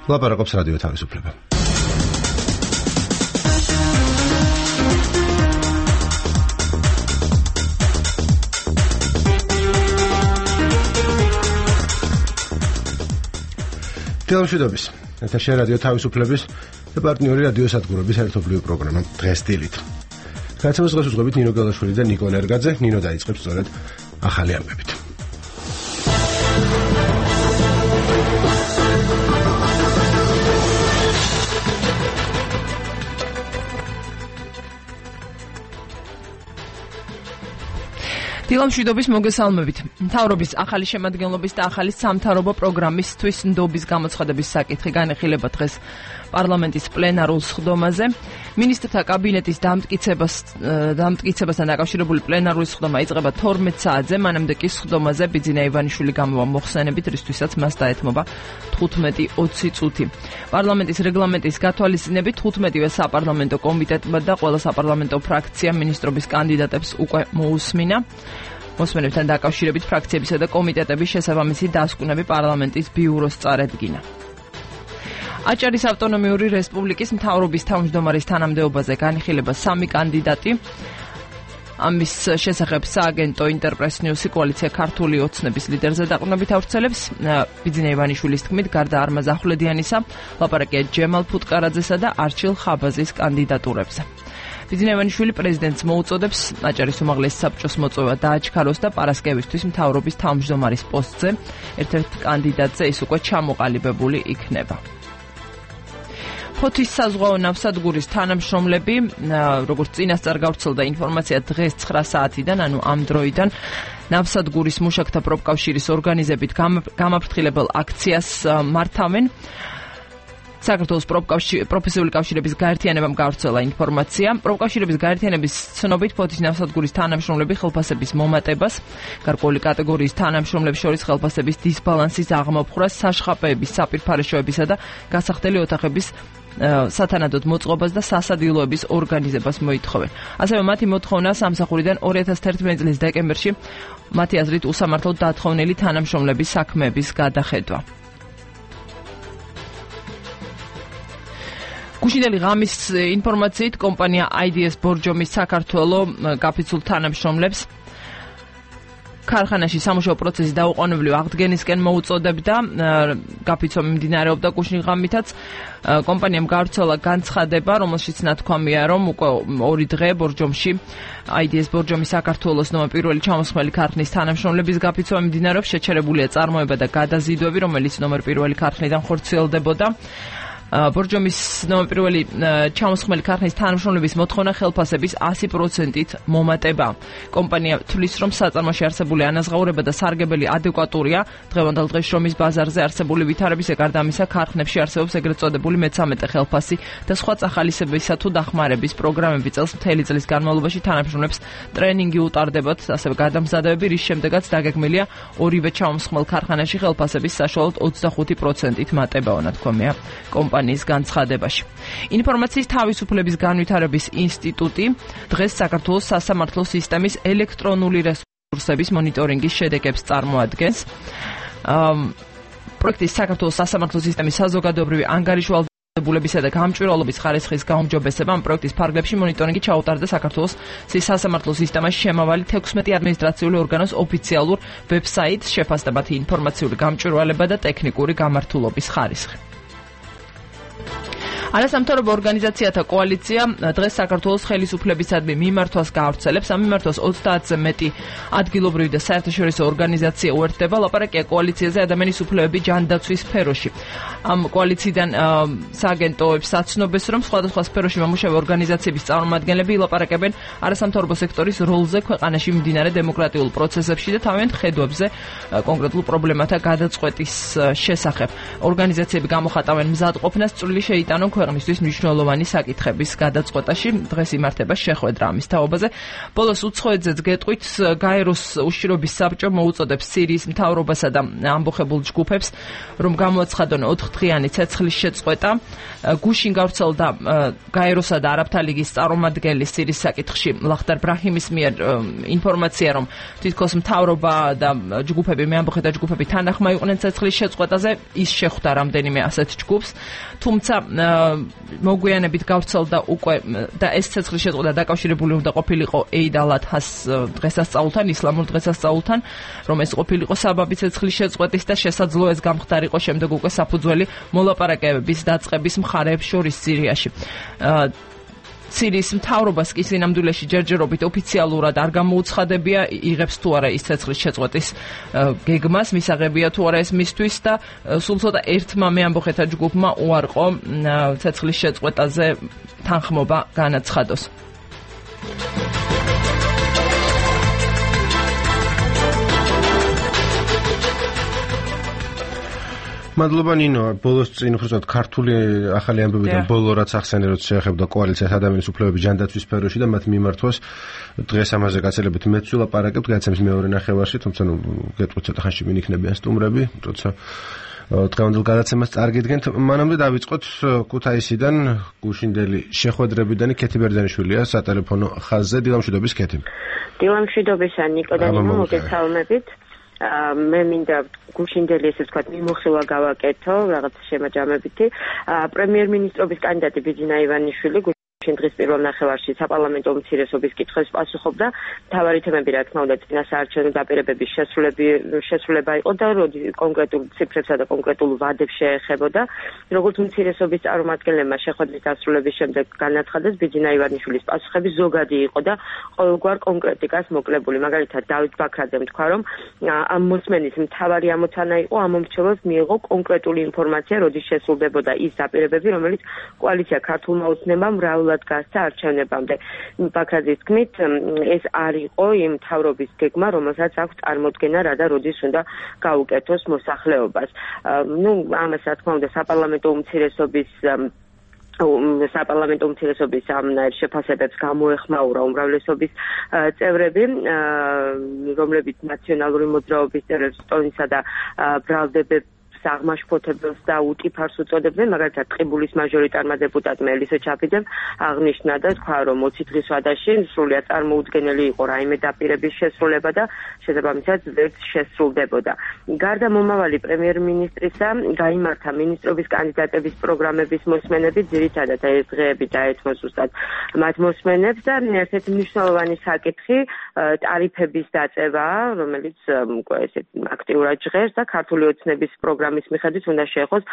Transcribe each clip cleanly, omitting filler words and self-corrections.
ლაპარაკობს რადიო თავისუფლება. თელშვიდობის ეთერში რადიო თავისუფლების და პარტნიორი რადიო სადგურების ერთობლივი პროგრამა დღეს დილით. გადაცემას დღეს უძღვებით ნინო გელაშვილი და ნიკო ნერგაძე. ნინო დაიწყებს სწორედ ახალი ამბებით. დილამშვიდობის მოგესალმებით. მთავრობის ახალი შემადგენლობის და ახალი სამთავრობო პროგრამისთვის ნდობის გამოცხადების საკითხი განეხილება დღეს პარლამენტის პლენარულ სხდომაზე. მინისტრთა კაბინეტის დამტკიცებასთან დაკავშირებული პლენარული სხდომა იწყება 12 საათზე, მანამდე კი სხდომაზე ბიძინა ივანიშვილი გამოვა მოხსენებით, რისთვისაც მას დაეთმობა 15-20 წუთი. პარლამენტის რეგლამენტის გათვალისწინებით 15-ვე საპარლამენტო კომიტეტმა და ყველა საპარლამენტო ფრაქციამ მინისტრობის კანდიდატებს უკვე მოусმინა. მოსმენებთან დაკავშირებით ფრაქციებისა და კომიტეტების შესაბამისი დასკვნები პარლამენტის ბიუროს წარედგინა. აჭარის ავტონომიური რესპუბლიკის მთავრობის თავმჯდომარის თანამდებობაზე განიხილება 3 კანდიდატი. ამის შესახებ სააგენტო ინტერპრეს ნიუსი კოალიცია ქართული ოცნების ლიდერზე დაყრდნობით ავრცელებს. ბიძინა ივანიშვილის თქმით, გარდა არმაზ ახვლედიანისა, ლაპარაკია ჯემალ ფუტკარაძესა და არჩილ ხაბაზის კანდიდატურებზე. ბიძინა ივანიშვილი პრეზიდენტს მოუწოდებს აჭარის უმაღლესი საბჭოს მოწვევა დააჩქაროს და პარასკევისთვის მთავრობის თავმჯდომარის პოსტზე ერთ-ერთ კანდიდატზე ის უკვე ჩამოყალიბებული იქნება. ფოთის საზღვაო ნავსადგურის თანამშრომლები, როგორც წინასწარ გავრცელდა ინფორმაცია, დღეს 9 საათიდან, ანუ ამ დროიდან ნავსადგურის მუშაკთა პროფკავშირის ორგანიზებით გამაფრთხილებელ აქციას მართავენ. საქართველოს პროფესიული კავშირების გაერთიანებამ გავრცელა ინფორმაცია. პროფკავშირების გაერთიანების ცნობით ფოთის ნავსადგურის თანამშრომლები ხელფასების მომატებას, გარკვეული კატეგორიის თანამშრომლებს შორის ხელფასების დისბალანსის აღმოფხვრას, საშხაპეების, საპირფარეშოებისა და გასახდელი ოთახების სათანადოდ მოწყობას და სასადილოების ორგანიზებას მოითხოვენ. ასევე მათი მოთხოვნა სამსახურიდან 2011 წლის დეკემბერში მათი აზრით უსამართლოდ დათხოვნილი თანამშრომლების საქმეების გადახედვა. გუშინდელი ღამის ინფორმაციით კომპანია IDS ბორჯომის საქართველო გაფიცულ თანამშრომლებს ქარხანაში სამუშაო პროცესი დაუყოვნებლივ აღდგენისკენ მოუწოდებდა. გაფიცვა მიმდინარეობდა გუშინ ღამითაც. კომპანიამ გავრცელა განცხადება, რომელშიც ნათქვამია, რომ უკვე 2 დღე ბორჯომში IDS ბორჯომის საქართველოს ნომერ პირველი ჩამოსხმელი ქარხნის თანამშრომლების გაფიცვა მიმდინარეობს. შეჩერებულია წარმოება და გადაზიდვები, რომელიც ნომერ პირველი ქარხნიდან ხორციელდებოდა. ბორჯომის ნომერ პირველი ჩამოსხმელი ქარხნის თანამშრომლების მოთხოვნა ხელფასების 100%-ით მომატება. კომპანია თვლის, რომ საწარმოში არსებული ანაზღაურება და სარგებელი ადეკვატურია. დღევანდელ დღეს შრომის ბაზარზე არსებული ვითარების გარდა ამისა, ქარხნებში არსებობს ეგრეთ წოდებული მე-13 ხელფასი და სხვა წახალისებისა თუ დახმარების პროგრამები. წელს მთელი წლის განმავლობაში თანამშრომლებს ტრენინგი უტარდებათ, ასევე გადამზადებები, რის შემდეგაც დაგეგმილია ორივე ჩამოსხმელ ქარხანაში ხელფასების საშუალოდ 25%-ით მატება, ნათქვამია კომპანიის განცხადებაში. ინფორმაციის თავისუფლების განვითარების ინსტიტუტი დღეს საქართველოს სასამართლო სისტემის ელექტრონული რესურსების მონიტორინგის შედეგებს წარმოადგენს. პროექტის საქართველოს სასამართლო სისტემის საზოგადოებრივი ანგარიშვალდებულებისა და გამჭვირვალობის ხარისხის გაუმჯობესება ამ პროექტის ფარგლებში მონიტორინგი ჩაუტარდა საქართველოს სასამართლო სისტემაში შემავალი 16 ადმინისტრაციული ორგანოს ოფიციალურ ვებსაიტს, შეფასდა მათი ინფორმაციული გამჭვირვალება და ტექნიკური გამართულობის ხარისხი. არასამთავრობო ორგანიზაციათა კოალიცია დღეს საქართველოს ხელისუფლებისადმი მიმართვას გაავრცელებს. ამ მიმართვას 30-ზე მეტი ადგილობრივი და საერთაშორისო ორგანიზაცია უერთდება. ლაპარაკია კოალიციაზე ადამიანის უფლებები ჯანდაცვის სფეროში. ამ კოალიციიდან სააგენტოებს აცნობს, რომ სხვადასხვა სფეროში მომუშავე ორგანიზაციების წარმომადგენლები ილაპარაკებენ არასამთავრობო სექტორის როლზე ქვეყანაში მიმდინარე დემოკრატიულ პროცესებში და თავიანთ ხედვებზე კონკრეტულ პრობლემათა გადაწყვეტის შესახებ. ორგანიზაციები გამოხატავენ მზადყოფნას, წვლილი შეიტანონ ქვეყნისთვის მნიშვნელოვანი საკითხების გადაწყვეტაში დღეს იმართება შეხვედრა ამის თაობაზე. ბოლოს უცხოეთზეც გეტყვით, გაეროს უშიშროების საბჭო მოუწოდებს სირიის მთავრობასა და ამბოხებულ ჯგუფებს, რომ გამოაცხადონ 4-დღიანი ცეცხლის შეწყვეტა. გუშინ გავრცელდა გაეროსა და არაბთა ლიგის წარმომადგენლის სირიის საკითხში ლახდარ ბრაჰიმის მიერ ინფორმაცია, რომ თითქოს მთავრობა და ჯგუფები, მეამბოხეთა ჯგუფები თანახმა იყვნენ ცეცხლის შეწყვეტაზე. ის შეხვდა რამდენიმე ასეთ ჯგუფს, თუმცა მოგვიანებით გავრცელდა უკვე და ეს ცეცხლის შეწყვეტა დაკავშირებული უნდა ყოფილიყო ეიდ ალ-ადჰას დღესასწაულთან, ისლამურ დღესასწაულთან, რომ ეს ყოფილიყო საბაბი ცეცხლის შეწყვეტის და შესაძლოა ეს გამხდარიყო შემდეგ უკვე საფუძველი მოლაპარაკებების დაწყების მხარეებს შორის სირიაში. სირიის მთავრობას კი სინამდვილეში ჯერჯერობით ოფიციალურად არ გამოუცხადებია, იღებს თუ არა ის ცეცხლის შეწყვეტის გეგმას, მისაღებია თუ არა ეს მისთვის და სულ ცოტა ერთმა მეამბოხეთა ჯგუფმა უარყო ცეცხლის შეწყვეტაზე თანხმობა განაცხადოს. მადლობა ნინო, ბოლოს წინ უბრალოდ ქართული ახალი ამბებიდან ბოლო რაც ახსენე, რომ შეეხებოდა კოალიციას ადამიანის უფლებების ჯანდაცვის სფეროში და მათ მიმართვას დღეს ამაზე გაცილებით მეც ვილაპარაკებთ გადაცემის მეორე ნახევარში, თუმცა გეტყვით ცოტა ხანში ვინ იქნებიან სტუმრები, როცა დღევანდელ გადაცემას წარგიდგენთ. მანამდე დავიწყოთ ქუთაისიდან გუშინდელი შეხვედრებიდან ქეთი ბერძენიშვილია სატელეფონო ხაზზე. დილამშვიდობის ქეთი. დილამშვიდობისა ნიკო და ნინო, მოგესალმებით. მე მინდა გუშინდელი ესე ვთქვათ მიმოხილვა გავაკეთო რაღაც შემაჯამებითი. პრემიერ-მინისტრობის კანდიდატი ბიძინა ივანიშვილი დღეს პირველ ნახევარში საპარლამენტო უმცირესობის კითხვებს პასუხობდა. მთავარი თემები, რა თქმა უნდა, წინასაარჩევნო დაპირებების შესრულება იყო და კონკრეტულ ციფრებსა და კონკრეტულ ვადებს შეეხებოდა. როგორც უმცირესობის წარმომადგენლებმა შეხვედრის დასრულების შემდეგ განაცხადეს, ბიძინა ივანიშვილის პასუხები ზოგადი იყო და ყოველგვარ კონკრეტიკას მოკლებული. მაგალითად, დავით ბაქრაძემ თქვა, რომ ამ მოსმენის მთავარი ამოცანა იყო ამ მომრჩევლებს მიიღო კონკრეტული ინფორმაცია, როდის შესრულდებოდა ის დაპირებები, რომელიც კოალიცია ქართულმა ოცნებამ მრავლად გასცა არჩევნებამდე. ბაქრაძის თქმით, ეს არ იყო იმ მთავრობის გეგმა, რომელსაც აქვს წარმოდგენა რა და როდის უნდა გაუკეთოს მოსახლეობას. ამას რა თქმა უნდა საპარლამენტო უმცირესობის ამ შეფასებებს გამოეხმაურა უმრავლესობის წევრები, რომლებიც ნაციონალური მოძრაობის წევრებს ტონისა და ბრალდებებს აღმაშფოთებელს და უტიფარს უწოდებდნენ, მაგალითად ტყიბულის მაჟორიტარმა დეპუტატმა ელისე ჩაფიძემ აღნიშნა და თქვა, რომ 20 დღის ვადაში სრულიად წარმოუდგენელი იყო რაიმე დაპირების შესრულება და შესაბამისად ვერც შესრულდებოდა. გარდა მომავალი პრემიერ-მინისტრისა, გაიმართა მინისტრობის კანდიდატების პროგრამების მოსმენები, ძირითადად ეს დღეები დაეთმო ზუსტად მათ მოსმენებს და ერთ-ერთი მნიშვნელოვანი საკითხი ტარიფების დაწევა, რომელიც ესეთ აქტიურად ჟღერს და ქართული ოცნების პროგრამის მიხედვით უნდა შეეხოს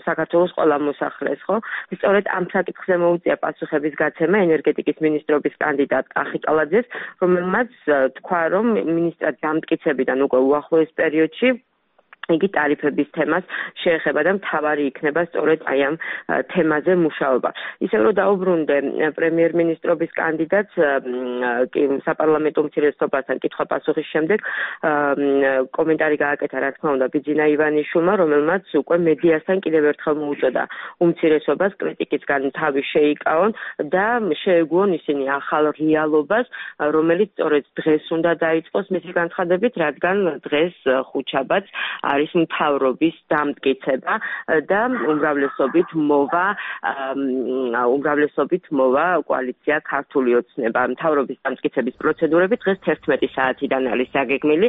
საქართველოს ყველა მოსახლეს, ხო? სწორედ ამ საკითხზე მოუწია პასუხების გაცემა ენერგეტიკის მინისტრობის კანდიდატ კახიკალაძეს, რომელმაც თქვა, რომ მინისტრად დამტკიცებიდან უკვე უახლოეს პერიოდში იგი ტარიფების თემას შეეხება და მთავარი იქნება სწორედ აი ამ თემაზე მუშაობა. ისევ რომ დაუბრუნდე პრემიერ-მინისტრობის კანდიდატს საპარლამენტო უმცირესობასთან კითხვა-პასუხის შემდეგ კომენტარი გააკეთა, რა თქმა უნდა, ბიძინა ივანიშვილმა, რომელმაც უკვე მედიასთან კიდევ ერთხელ მოუწოდა უმცირესობას კრიტიკისგან თავი შეიკავონ და შეეგუონ ისინი ახალ რეალობას, რომელიც სწორედ დღეს უნდა დაიწყოს მისი განცხადებით, რადგან დღეს ხუთშაბათს არის მთავრობის დამტკიცება და უმრავლესობით მოვა კოალიცია ქართული ოცნება. მთავრობის დამტკიცების პროცედურები დღეს 11 საათიდან არის დაგეგმილი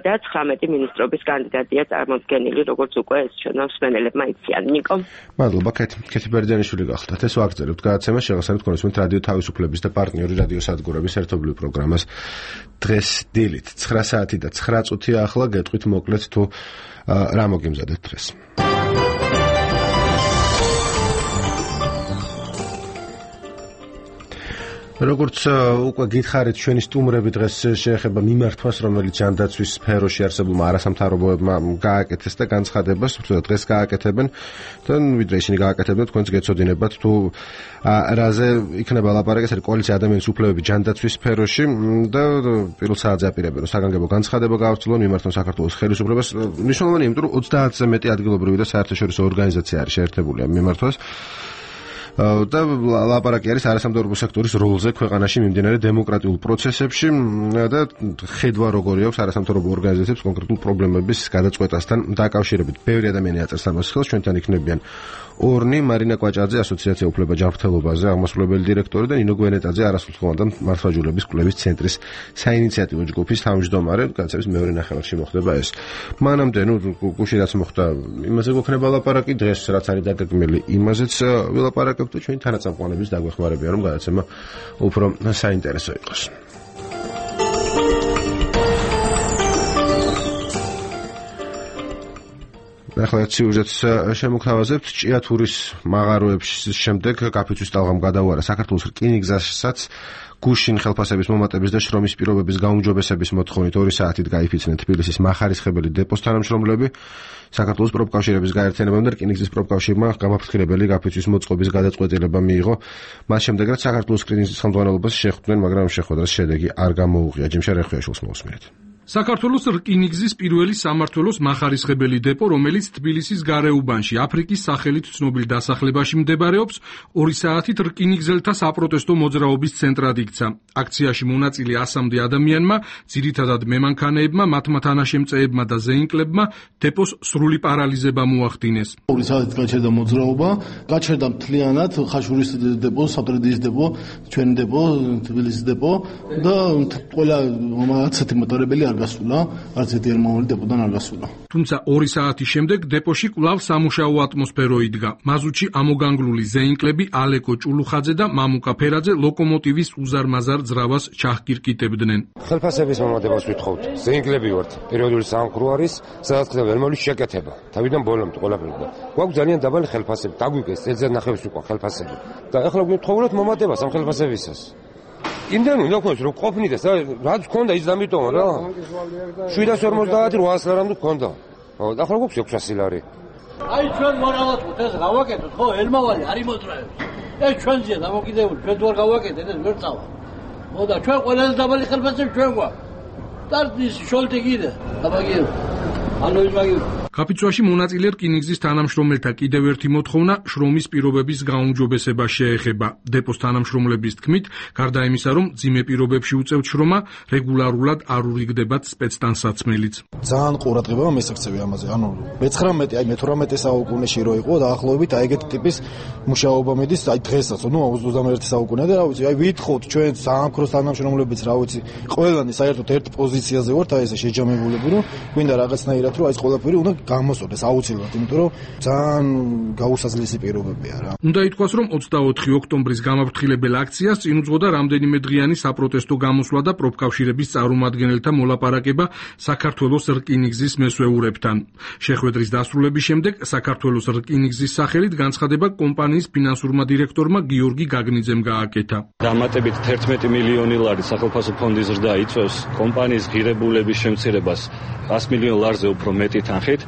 და 19 მინისტრობის კანდიდატია წარმოდგენილი, როგორც უკვე ეს ჩვენო მსმენელებმა იციან. ნიკო. მადლობა, ქეთი ბერძენიშვილი გახლდათ. ეს ვაგრძელებთ გადაცემას, შევასწავლეთ კონსუმენტ რადიო თავისუფლების და პარტნიორი რადიო სადგურების ერთობლივ პროგრამას დღეს დილით 9 საათი და 9 წუთია ახლა გეტყვით მოკლედ თუ რა მოგიმზადეთ დღეს. როგორც უკვე გითხარით, ჩვენი სტუმრები დღეს შეეხება მიმართვას, რომელიც ჯანდაცვის სფეროში არსებულმა არასამთავრობოებმა გააკეთეს და განცხადებას, თუმცა დღეს გააკეთებენ და ვიდრე ისინი გააკეთებენ, თქვენც გეცოდინებათ თუ რაზე იქნება ლაპარაკი, ეს არის კოალიცია ადამიანის უფლებები ჯანდაცვის სფეროში და პირველ საათზე აპირებენ, რომ საგანგებო განცხადება გაავრცელონ მიმართონ საქართველოს ხელისუფლებას. მნიშვნელოვანია, იმიტომ რომ 30-ზე მეტი ადგილობრივი და საერთაშორისო ორგანიზაცია არის შეერთებული ამ მიმართვას. და ლაპარაკი არის არასამთავრობო სექტორის როლზე ქვეყანაში მიმდინარე დემოკრატიულ პროცესებში და ხედვა როგორი აქვს არასამთავრობო ორგანიზაციებს კონკრეტულ პრობლემების გადაწყვეტასთან დაკავშირებით. ბევრი ადამიანი აწერს ამას ხელს, ჩვენთან იქნებიან ორნი, მარინა კვაჭაძე, ასოციაცია უფლება ჯანმრთელობაზე აღმასრულებელი დირექტორი და ნინო გვენეტაძე, არასრულყოფილო მართლმსაჯულების კვლევის ცენტრის საინიციატივო ჯგუფის თავმჯდომარე. განსაკუთრებით მეორე ნახევარში მოხდება ეს. მანამდე, გუში რაც მოხდა, იმაზე გვექნება ლაპარაკი, დღეს რაც არის დაგეგმილი, იმაზეც ვილაპარაკებთ და ჩვენი თანაწამყვანების დაგვეხმარებიან, რომ გადაცემა უფრო საინტერესო იყოს. ახლა სიუჟეტს შემოგთავაზებთ. ჭიათურის მაღაროების შემდეგ კაფეთვის ტალღამ გადაუარა საქართველოს რკინიგზასაც გუშინ ხელფასების მომატების და შრომის პირობების გაუმჯობესების მოთხოვნით 2 საათით გაიფიცნენ თბილისის მახარისხებელი დეპოს თანამშრომლები. საქართველოს პროფკავშირების გაერთიანებამ და რკინიგზის პროფკავშირმა გამაფრთხილებელი კაფეთვის მოწყობის გადაწყვეტილება მიიღო. მას შემდეგ რაც საქართველოს რკინიგზის ხელმძღვანელობას შეხვდნენ, მაგრამ შეხვედრას შედეგი არ გამოუღია. ჯიმშა რეხვიაშვილს მოусმინეთ. საქართველოს რკინიგზის პირველი სამმართველოს მახარისხებელი დეპო, რომელიც თბილისის გარეუბანში აფრიკის სახელით ცნობილ დასახლებაში მდებარეობს, 2 საათით რკინიგზელთა საპროტესტო მოძრაობის ცენტრად იქცა. აქციაში მონაწილე 100-მდე ადამიანმა, ძირითადად მემანქანეებმა, მათმა თანაშემწეებმა და ზეინკლებმა დეპოს სრული პარალიზება მოახდინეს. 2 საათით გაჩერდა მოძრაობა, გაჩერდა მთლიანად ხაშურის დეპო, სატრედიის დეპო, ჩვენი დეპო, თბილისის დეპო და ყველა მომაცეთი მოტორებელი არ გასულა, არც ერთი ერმოვანი დეპოდან არ გასულა. თუმცა 2 საათის შემდეგ დეპოში კვლავ სამუშაო ატმოსფერო იდგა. მაზუთში ამოგანგლული ზეინკლები ალეკო ჭულუხაძე და მამუკა ფერაძე ლოკომოტივის უზარმაზარ ძრავას ჩახკირკიტებდნენ. ხელფასების მომატებას ვითხოვთ. ზეინკლები ვართ. პერიოდული სამყარო არის, სადაც ხდება ერმოვნის შეკეთება. თავიდან ბოლომდე ყველაფერი. გვაქვს ძალიან დაბალი ხელფასები. დაგვიგეს წელზე ნახევრის უკვე ხელფასები. და ახლა გვითხოვნოთ მომატებას ამ ხელფასებისას. იმდენ უნდა გქონდეს რომ ყოფნიდეს რაც გქონდა ის დამიტომა რა 750 800 ლარამდე გქონდა და ახლა გვაქვს 600 ლარი აი ჩვენ მორალად ეს გავაკეთოთ ხო ელმავალი არის მოძრაობს ეს ჩვენზეა დამოკიდებული ჩვენ თუ არ გავაკეთეთ ეს ვერ წავა მოდა ჩვენ ყველაზე დაბალი ხელფასები ჩვენ გვაქვს და ის შოლტი კიდე დაბაგიო ანუ ის მაგიო კაფიცვაში მონაწილე რკინიგზის თანამშრომელთა კიდევ ერთი მოთხოვნა შრომის პირობების გაუმჯობესება შეეხება. დეპოს თანამშრომლების თქმით, გარდა იმისა, რომ ძიმე პირობებში უწევთ შრომა, რეგულარულად არ ურიგდებათ სპეცტანსაცმელიც. ძალიან ყურადღება მესაქცევი ამაზე. ანუ მე-19, აი მე-18 საუკუნეში რო იყო დაახლოებით აი ეგეთი ტიპის მუშაობა მიდის, აი დღესაც, 21 საუკუნე და რა ვიცი, აი ვითხოვთ ჩვენ სამაქროს თანამშრომლებიც, რა ვიცი, ყველანი საერთოდ ერთ პოზიციაზე ვართ, აი ესე შეჯამებულები, რომ გვინდა რაღაცნაირად რომ აი ეს ყველაფერი უნდა გამოსწორდეს აუცილებლად, იმიტომ რომ ძალიან გაუსაზრდელი პირობებია რა. უნდა ითქვას, რომ 24 ოქტომბრის გამაფრთხილებელ აქციას წინ უძღოდა რამდენიმე დღიანი საპროტესტო გამოსვლა და პროფკავშირების წარმომადგენელთა მოლაპარაკება საქართველოს რკინიგზის მესვეურებთან. შეხვედრის დასრულების შემდეგ საქართველოს რკინიგზის სახელით განცხადება კომპანიის ფინანსურმა დირექტორმა გიორგი გაგნიძემ გააკეთა. დამატებით 11 მილიონი ლარი სახელმწიფო ფონდის ზრდა იწვევს კომპანიის ღირებულების შემცირებას 100 მილიონ ლარზე უფრო მეტი თანხით.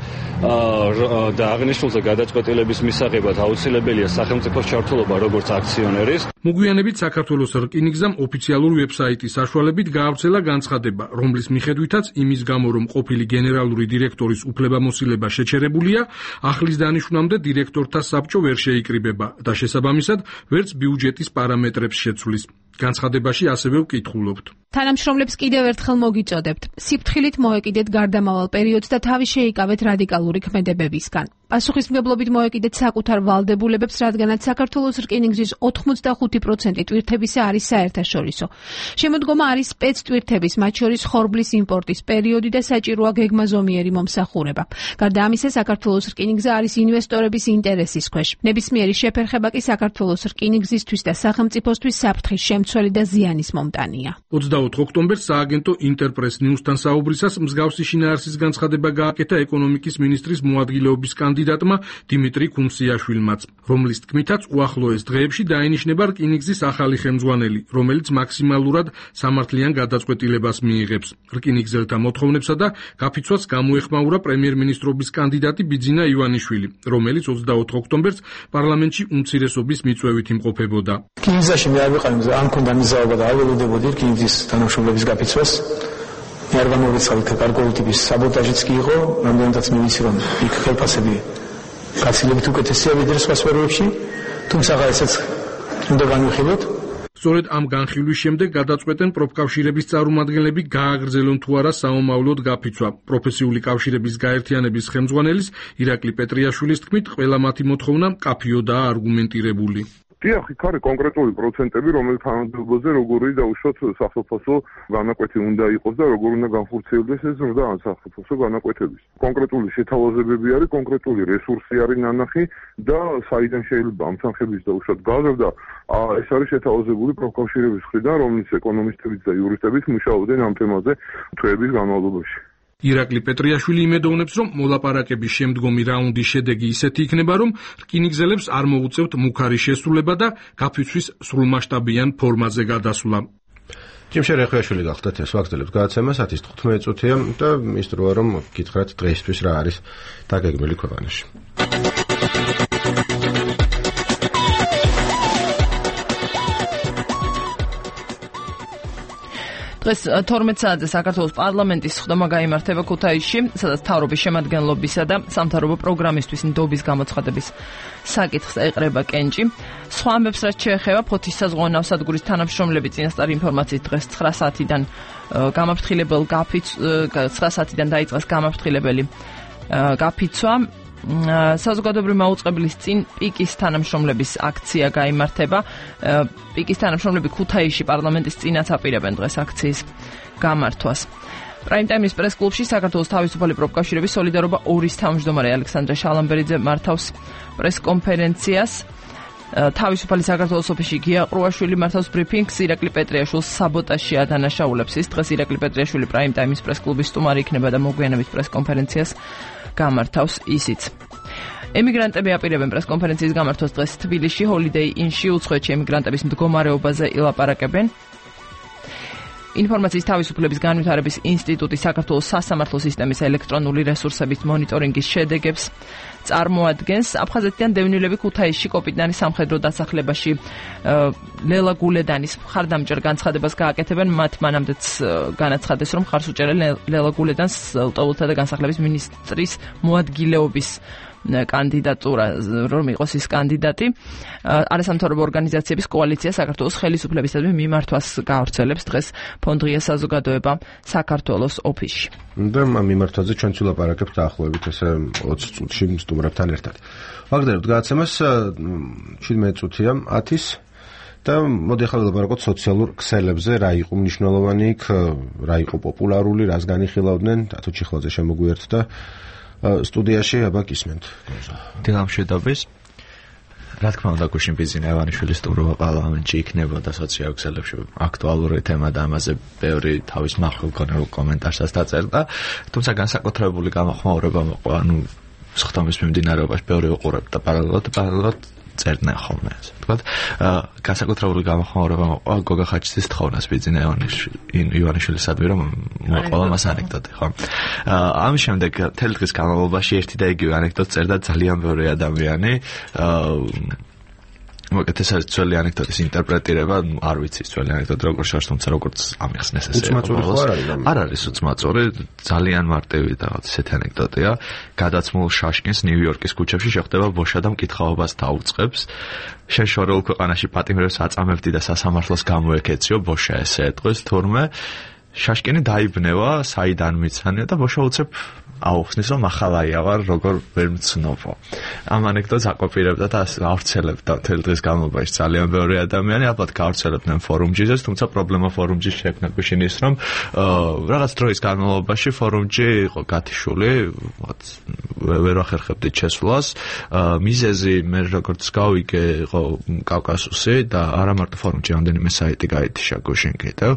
და აღნიშნულზე გადაწყვეტილების მისაღებად აუცილებელია სახელმწიფოს ჩართულობა როგორც აქციონერის. მოგვიანებით საქართველოს რკინიგზამ ოფიციალური ვებსაიტის საშუალებით გაავრცელა განცხადება, რომლის მიხედვითაც იმის გამო, რომ ყოფილი გენერალური დირექტორის უფლებამოსილება შეჩერებულია, ახლის დანიშვნამდე დირექტორთა საბჭო ვერ შეიკრიბება და შესაბამისად ვერც ბიუჯეტის პარამეტრებს შეცვლის. განცხადებაში ასევე ვკითხულობთ. თანამშრომლებს კიდევ ერთხელ მოგიწოდებთ. სიფრთხილით მოეკიდეთ გარდამავალ პერიოდს და თავი შეიკავეთ რადიკალური ქმედებებისგან. პასუხისმგებლობით მოეკიდეთ საკუთარ ვალდებულებებს, რადგანაც საქართველოს რკინიგზის 85% ტვირთებისა არის საერთაშორისო. შემოდგომა არის სპეცტვირთების, მათ შორის ხორბლის იმპორტის პერიოდი და საჭიროა გეგმაზომიერი მომსახურება. გარდა ამისა, საქართველოს რკინიგზა არის ინვესტორების ინტერესის ქვეშ. ნებისმიერი შეფერხება კი საქართველოს რკინიგზისთვის და სახელმწიფოსთვის საფრთხის შემცველი და ზიანის მომტანია. 24 ოქტომბერს სააგენტო ინტერპრეს ნიუსთან საუბრისას მსგავსი შინაარსის განცხადება გააკეთა ეკონომიკის მინისტრის მოადგილეობის კანდიდატ კანდიდატმა დიმიტრი ქუმსიაშვილმაც, რომლის თქმითაც უახლოეს დღეებში დაენიშნება რკინიგზის ახალი ხელმძღვანელი, რომელიც მაქსიმალურად სამართლიან გადაწყვეტილებას მიიღებს. რკინიგზელთა მოთხოვნებსა და გაფიცვას გამოეხმაურა პრემიერ-მინისტრობის კანდიდატი ბიძინა ივანიშვილი, რომელიც 24 ოქტომბერს პარლამენტში უმცირესობის მიწვევით იმყოფებოდა. რკინიგზაში მე არ ვიყავი, არ მქონდა მიზაობა და არ ველოდებოდი რკინიგზის თანამშრომლების გაფიცვას. მე არ გამოვიწყავი კარგული ტიპის საბოტაჟიც კი იყო, რამდენადაც მივიცი რომ იქ ხელფასები გაცილებით უკეთესია ვიდრე სხვა სფეროებში, თუმცა ესეც უნდა განვიხილოთ. სწორედ ამ განხილვის შემდეგ გადაწყვეტენ პროფკავშირების წარმომადგენლები გააგრძელონ თუ არა საომავლოდ გაფიცვა. პროფესიული კავშირების გაერთიანების ხელმძღვანელის ირაკლი პეტრიაშვილის თქმით, ყველა მათი მოთხოვნა მკაფიოდაა არგუმენტირებული. დიახ, იქ არის კონკრეტული პროცენტები, რომელიც თანამდებობაზე როგორი დაუშვათ სახელმწიფო განაკვეთი უნდა იყოს და როგორ უნდა განხორციელდეს ეს ზრდა სახელმწიფო განაკვეთების. კონკრეტული შეთავაზებები არის, კონკრეტული რესურსი არის ნანახი და საიდან შეიძლება ამ თანხების დაუშვათ გაზრდა, ეს არის შეთავაზებული პროფკავშირების მხრიდან, რომლის ეკონომისტებიც და იურისტებიც მუშაობდნენ ამ თემაზე თვეების განმავლობაში. ირაკლი პეტრიაშვილი იმედოვნებს, რომ მოლაპარაკების შემდგომი რაუნდის შედეგი ისეთი იქნება, რომ რკინიგზელებს არ მოუწევთ მუქარი შესრულება და გაფიცვის სრულმასშტაბიან ფორმაზე გადასვლა. ჯიმშე რეხვიაშვილი გახდათ ეს ვაგრძელებთ გადაცემას 10:15 წუთია და ის დროა რომ გითხრათ დღეისთვის რა არის დაგეგმილი ქვეყანაში. დღეს 12 საათზე საქართველოს პარლამენტის სხდომა გაიმართება ქუთაისში, სადაც მთავრობის შემადგენლობისა და სამთავრობო პროგრამისთვის ნდობის გამოცხადების საკითხს ეყრება კენჭი. სხვა ამბებს რაც შეეხება ფოთის საზღვაო ნავსადგურის თანამშრომლები წინასწარი ინფორმაციით დღეს 9 საათიდან გამაფრთხილებელ 9 საათიდან დაიწყეს გამაფრთხილებელი გაფიცვა. საზოგადოებრივი მაუწყებლის წინ პიკის თანამშრომლების აქცია გაიმართება. პიკის თანამშრომლები ქუთაისში პარლამენტის წინაც აპირებენ დღეს აქციის გამართვას. პრაიმ-ტაიმის პრეს-კლუბში საქართველოს თავისუფალი პროფკავშირების სოლიდარობა 2-ის თავმჯდომარე ალექსანდრე შალამბერიძე მართავს პრეს-კონფერენციას. თავისუფალი საქართველოს ოფისში გია ყრუაშვილი მართავს ბრიფინგს, ირაკლი პეტრიაშვილს საბოტაჟში ადანაშაულებს. ის დღეს ირაკლი პეტრიაშვილი პრაიმ-ტაიმის პრეს-კლუბის სტუმარი იქნება და მოგვიანებით პრეს-კონფერენციას გამართავს ისიც. ემიგრანტები აპირებენ პრეს-კონფერენციის გამართვას დღეს თბილისში, ჰოლიდეი ინში უცხოეთში ემიგრანტების მდგომარეობაზე ილაპარაკებენ. ინფორმაციის თავისუფლების განვითარების ინსტიტუტი საქართველოს სასამართლო სისტემის ელექტრონული რესურსების მონიტორინგის შედეგებს წარმოადგენს. აფხაზეთიდან დევნილები ქუთაისში კოპიტნარის სამხედრო დასახლებაში ლელა გულედანის მხარდამჭერ განცხადებას გააკეთებენ. მათ მანამდეც განაცხადეს, რომ მხარს უჭერენ ლელა გულედანს ლტოლთა და განსახლების მინისტრის მოადგილეობის კანდიდატურა, რომ იყოს ის კანდიდატი. არასამთავრობო ორგანიზაციების კოალიცია საქართველოს ხელისუფლებისადმი მიმართვას გაავრცელებს დღეს ფონდ ღია საზოგადოება საქართველოს ოფისში. და ამ მიმართვაზე ჩვენც ვილაპარაკებთ დაახლოებით ესე 20 წუთში სტუმრებთან ერთად. ვაგრძელებთ გადაცემას 17 წუთია 10-ის და მოდი ახლა ვილაპარაკოთ სოციალურ ქსელებზე, რა იყო მნიშვნელოვანი იქ, რა იყო პოპულარული, რას განიხილავდნენ, დათო ჩიხლაძე შემოგვიერთ და სტუდიაში აბა გისმენთ. დილამშვიდობის. რა თქმა უნდა, გუშინ ბიძინა ივანიშვილის სტუმრობა პარლამენტში იქნებოდა სოციალურ ქსელებში აქტუალური თემა და ამაზე ბევრი თავის მახვილგონებულ კომენტარსაც დაწერდა, თუმცა განსაკუთრებული გამოხმაურება მოყვა, სხდომის მიმდინარეობაში ბევრი უყურებდა და პარალელურად წერდნენ ხოლმე, ასე ვთქვათ. განსაკუთრებული გამოხმაურება მოყვა გოგა ხაჩიძის თხოვნას ბიძინა ივანიშვილისადმი, რომ მოყვა მას ანეკდოტი, ხო? ამის შემდეგ მთელი დღის განმავლობაში ერთი და იგივე ანეკდოტს წერდა ძალიან ბევრი ადამიანი. მოკეთ ეს არის ძველი ანეკდოტის ინტერპრეტირება, არ ვიცი ძველი ანეკდოტი როგორ შორს, თუმცა როგორც ამიხსნეს ესე. არ არის უცმაწური, ძალიან მარტივი და ესეთი ანეკდოტია. გადაცმულ შაშკინს ნიუ-იორკის ქუჩებში შეხვდება ბოშა და მკითხაობას დაუწყებს. შეშორულ ქვეყანაში პატიმრებს აწამებდი და სასამართლოს გამოეკეციო, ბოშა ესე ეტყვის, თურმე შაშკინი დაიბნევა, საიდან მიცანია და ბოშა უცებ აუხსნის, რომ ახალაია ვარ, როგორ ვერ მცნობო. ამ ანეკდოტს აკოპირებდა და ავრცელებდა მთელი დღის განმავლობაში ძალიან ბევრი ადამიანი, ალბათ გაავრცელებდნენ ფორუმჯიზე, თუმცა პრობლემა ფორუმჯის შექმნა გუშინ ის, რომ რაღაც დროის განმავლობაში ფორუმჯი იყო გათიშული, ვერ ახერხებდით შესვლას. მიზეზი მე როგორც გავიგე, იყო კავკასუსი და არა მარტო ფორუმჯი, რამდენიმე საიტი გაითიშა გუშინ კიდევ.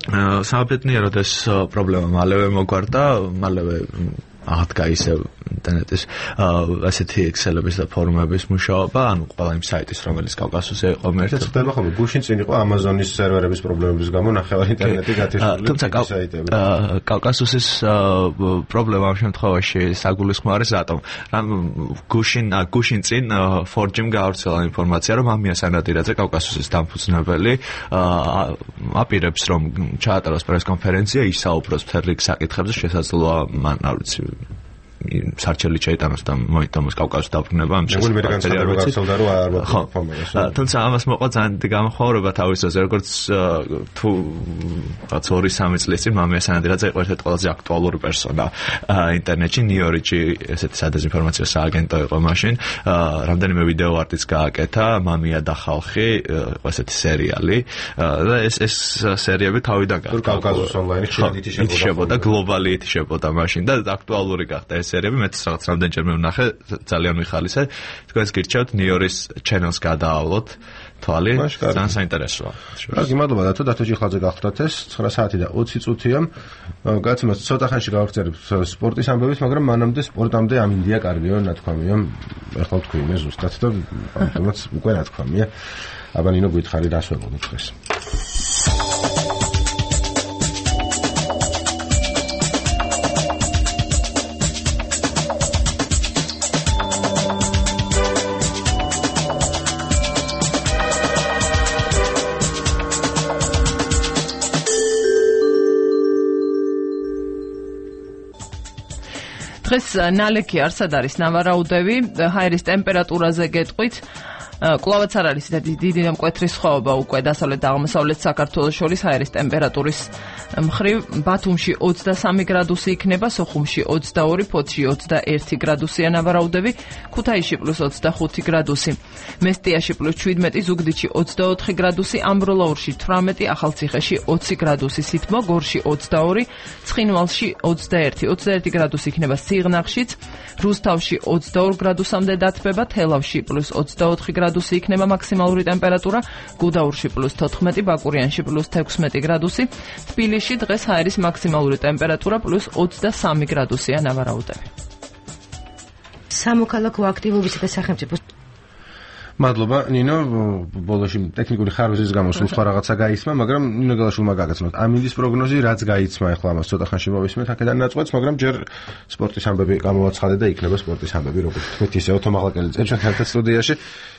საბედნიეროდ ეს პრობლემა მალევე მოგვარდა, მალევე აღდგა ისევ ინტერნეტის ასეთი Excel-ების და ფორუმების მუშაობა, ანუ ყველა იმ საიტის, რომელიც კავკასიუსზე იყო მერტ. ხდება ხოლმე გუშინ წინ იყო Amazon-ის სერვერების პრობლემების გამო ნახევარი ინტერნეტი გათიშული საიტები. კავკასიუსის პრობლემა ამ შემთხვევაში საგულისხმოა რატომ? გუშინ წინ Forge-м გაავრცელა ინფორმაცია, რომ ამია სანადირაძე კავკასიუსის დამფუძნებელი აპირებს რომ ჩაატაროს პრესკონფერენცია, ისაუბროს მთელ რიგ საკითხებზე, შესაძლოა მან არ ვიცი სარჩელი შეიტანოს და მოიტანოს კავკასიის დაბრუნება ამ თუმცა ამას მოყვა ძალიან დიდი გამოხმაურება თავისაზე, როგორც თუ 2-3 წლის წინ მამია სანადირაძე იყო ერთ-ერთი ყველაზე აქტუალური პერსონა ინტერნეტში, ნიუ-იორკში ესეთი სადეზინფორმაციო სააგენტო იყო მაშინ, რამდენიმე ვიდეო არტიც გააკეთა, მამია და ხალხი, იყო ესეთი სერიალი და ეს სერიები თავიდან გახდა კავკასიის ონლაინი ითიშებოდა, გლობალი ითიშებოდა მაშინ და აქტუალური გახდა სერიები, მეც რაღაც რამდენჯერმე ვნახე, ძალიან მიხალისე. თქვენს გირჩევთ ნიუ-იორკის channels გადაავლოთ თვალი, ძალიან საინტერესოა. კარგი, მადლობა დათო, დათო ჭიხლაძე გახლდათ ეს 9 საათი და 20 წუთია. გაცემას ცოტა ხანში გავაგრძელებთ სპორტის ამბების, მაგრამ მანამდე სპორტამდე ამინდია კარგიო, ნათქვამია. ეხლა თქვი მე ზუსტად და ამიტომაც უკვე ნათქვამია. აბა ნინო გითხარი რას ვეღოთ დღეს. დღეს ნალექი არსად არის ნავარაუდები, ჰაერის ტემპერატურაზე გეტყვით. კვლავაც არ არის დიდი და მკვეთრი სხვაობა უკვე დასავლეთ და აღმოსავლეთ საქართველოს შორის ჰაერის ტემპერატურის მხრივ. ბათუმში 23 გრადუსი იქნება, სოხუმში 22, ფოთში 21 გრადუსია ნავარაუდები, ქუთაისში +25 გრადუსი, მესტიაში +17, ზუგდიდში 24 გრადუსი, ამბროლაურში 18, ახალციხეში 20 გრადუსი, სითბო, გორში 22, ცხინვალში 21 გრადუსი იქნება სიღნაღშიც, რუსთავში 22 გრადუსამდე დათბება, თელავში +24 გრადუსი იქნება მაქსიმალური ტემპერატურა, გუდაურში +14, ბაკურიანში +16 გრადუსი, თბილისში დღეს ჰაერის მაქსიმალური ტემპერატურა +23 გრადუსია ნავარაუდები. სამოქალაქო აქტივობისა და სახელმწიფო მადლობა ნინო, ბოლოში ტექნიკური ხარვეზის გამო სულ სხვა რაღაცა გაიცმა, მაგრამ ნინო გალაშვილმა გაგაცნოთ. ამინდის პროგნოზი რაც გაიცმა, ახლა ამას ცოტა ხანში მოვისმენთ აქედან ნაწყვეტს, მაგრამ ჯერ სპორტის ამბები გამოვაცხადე და იქნება სპორტის ამბები, როგორც თქვით, ისე ოთომაღლაკელი წელი ჩვენ ერთად სტუდიაში.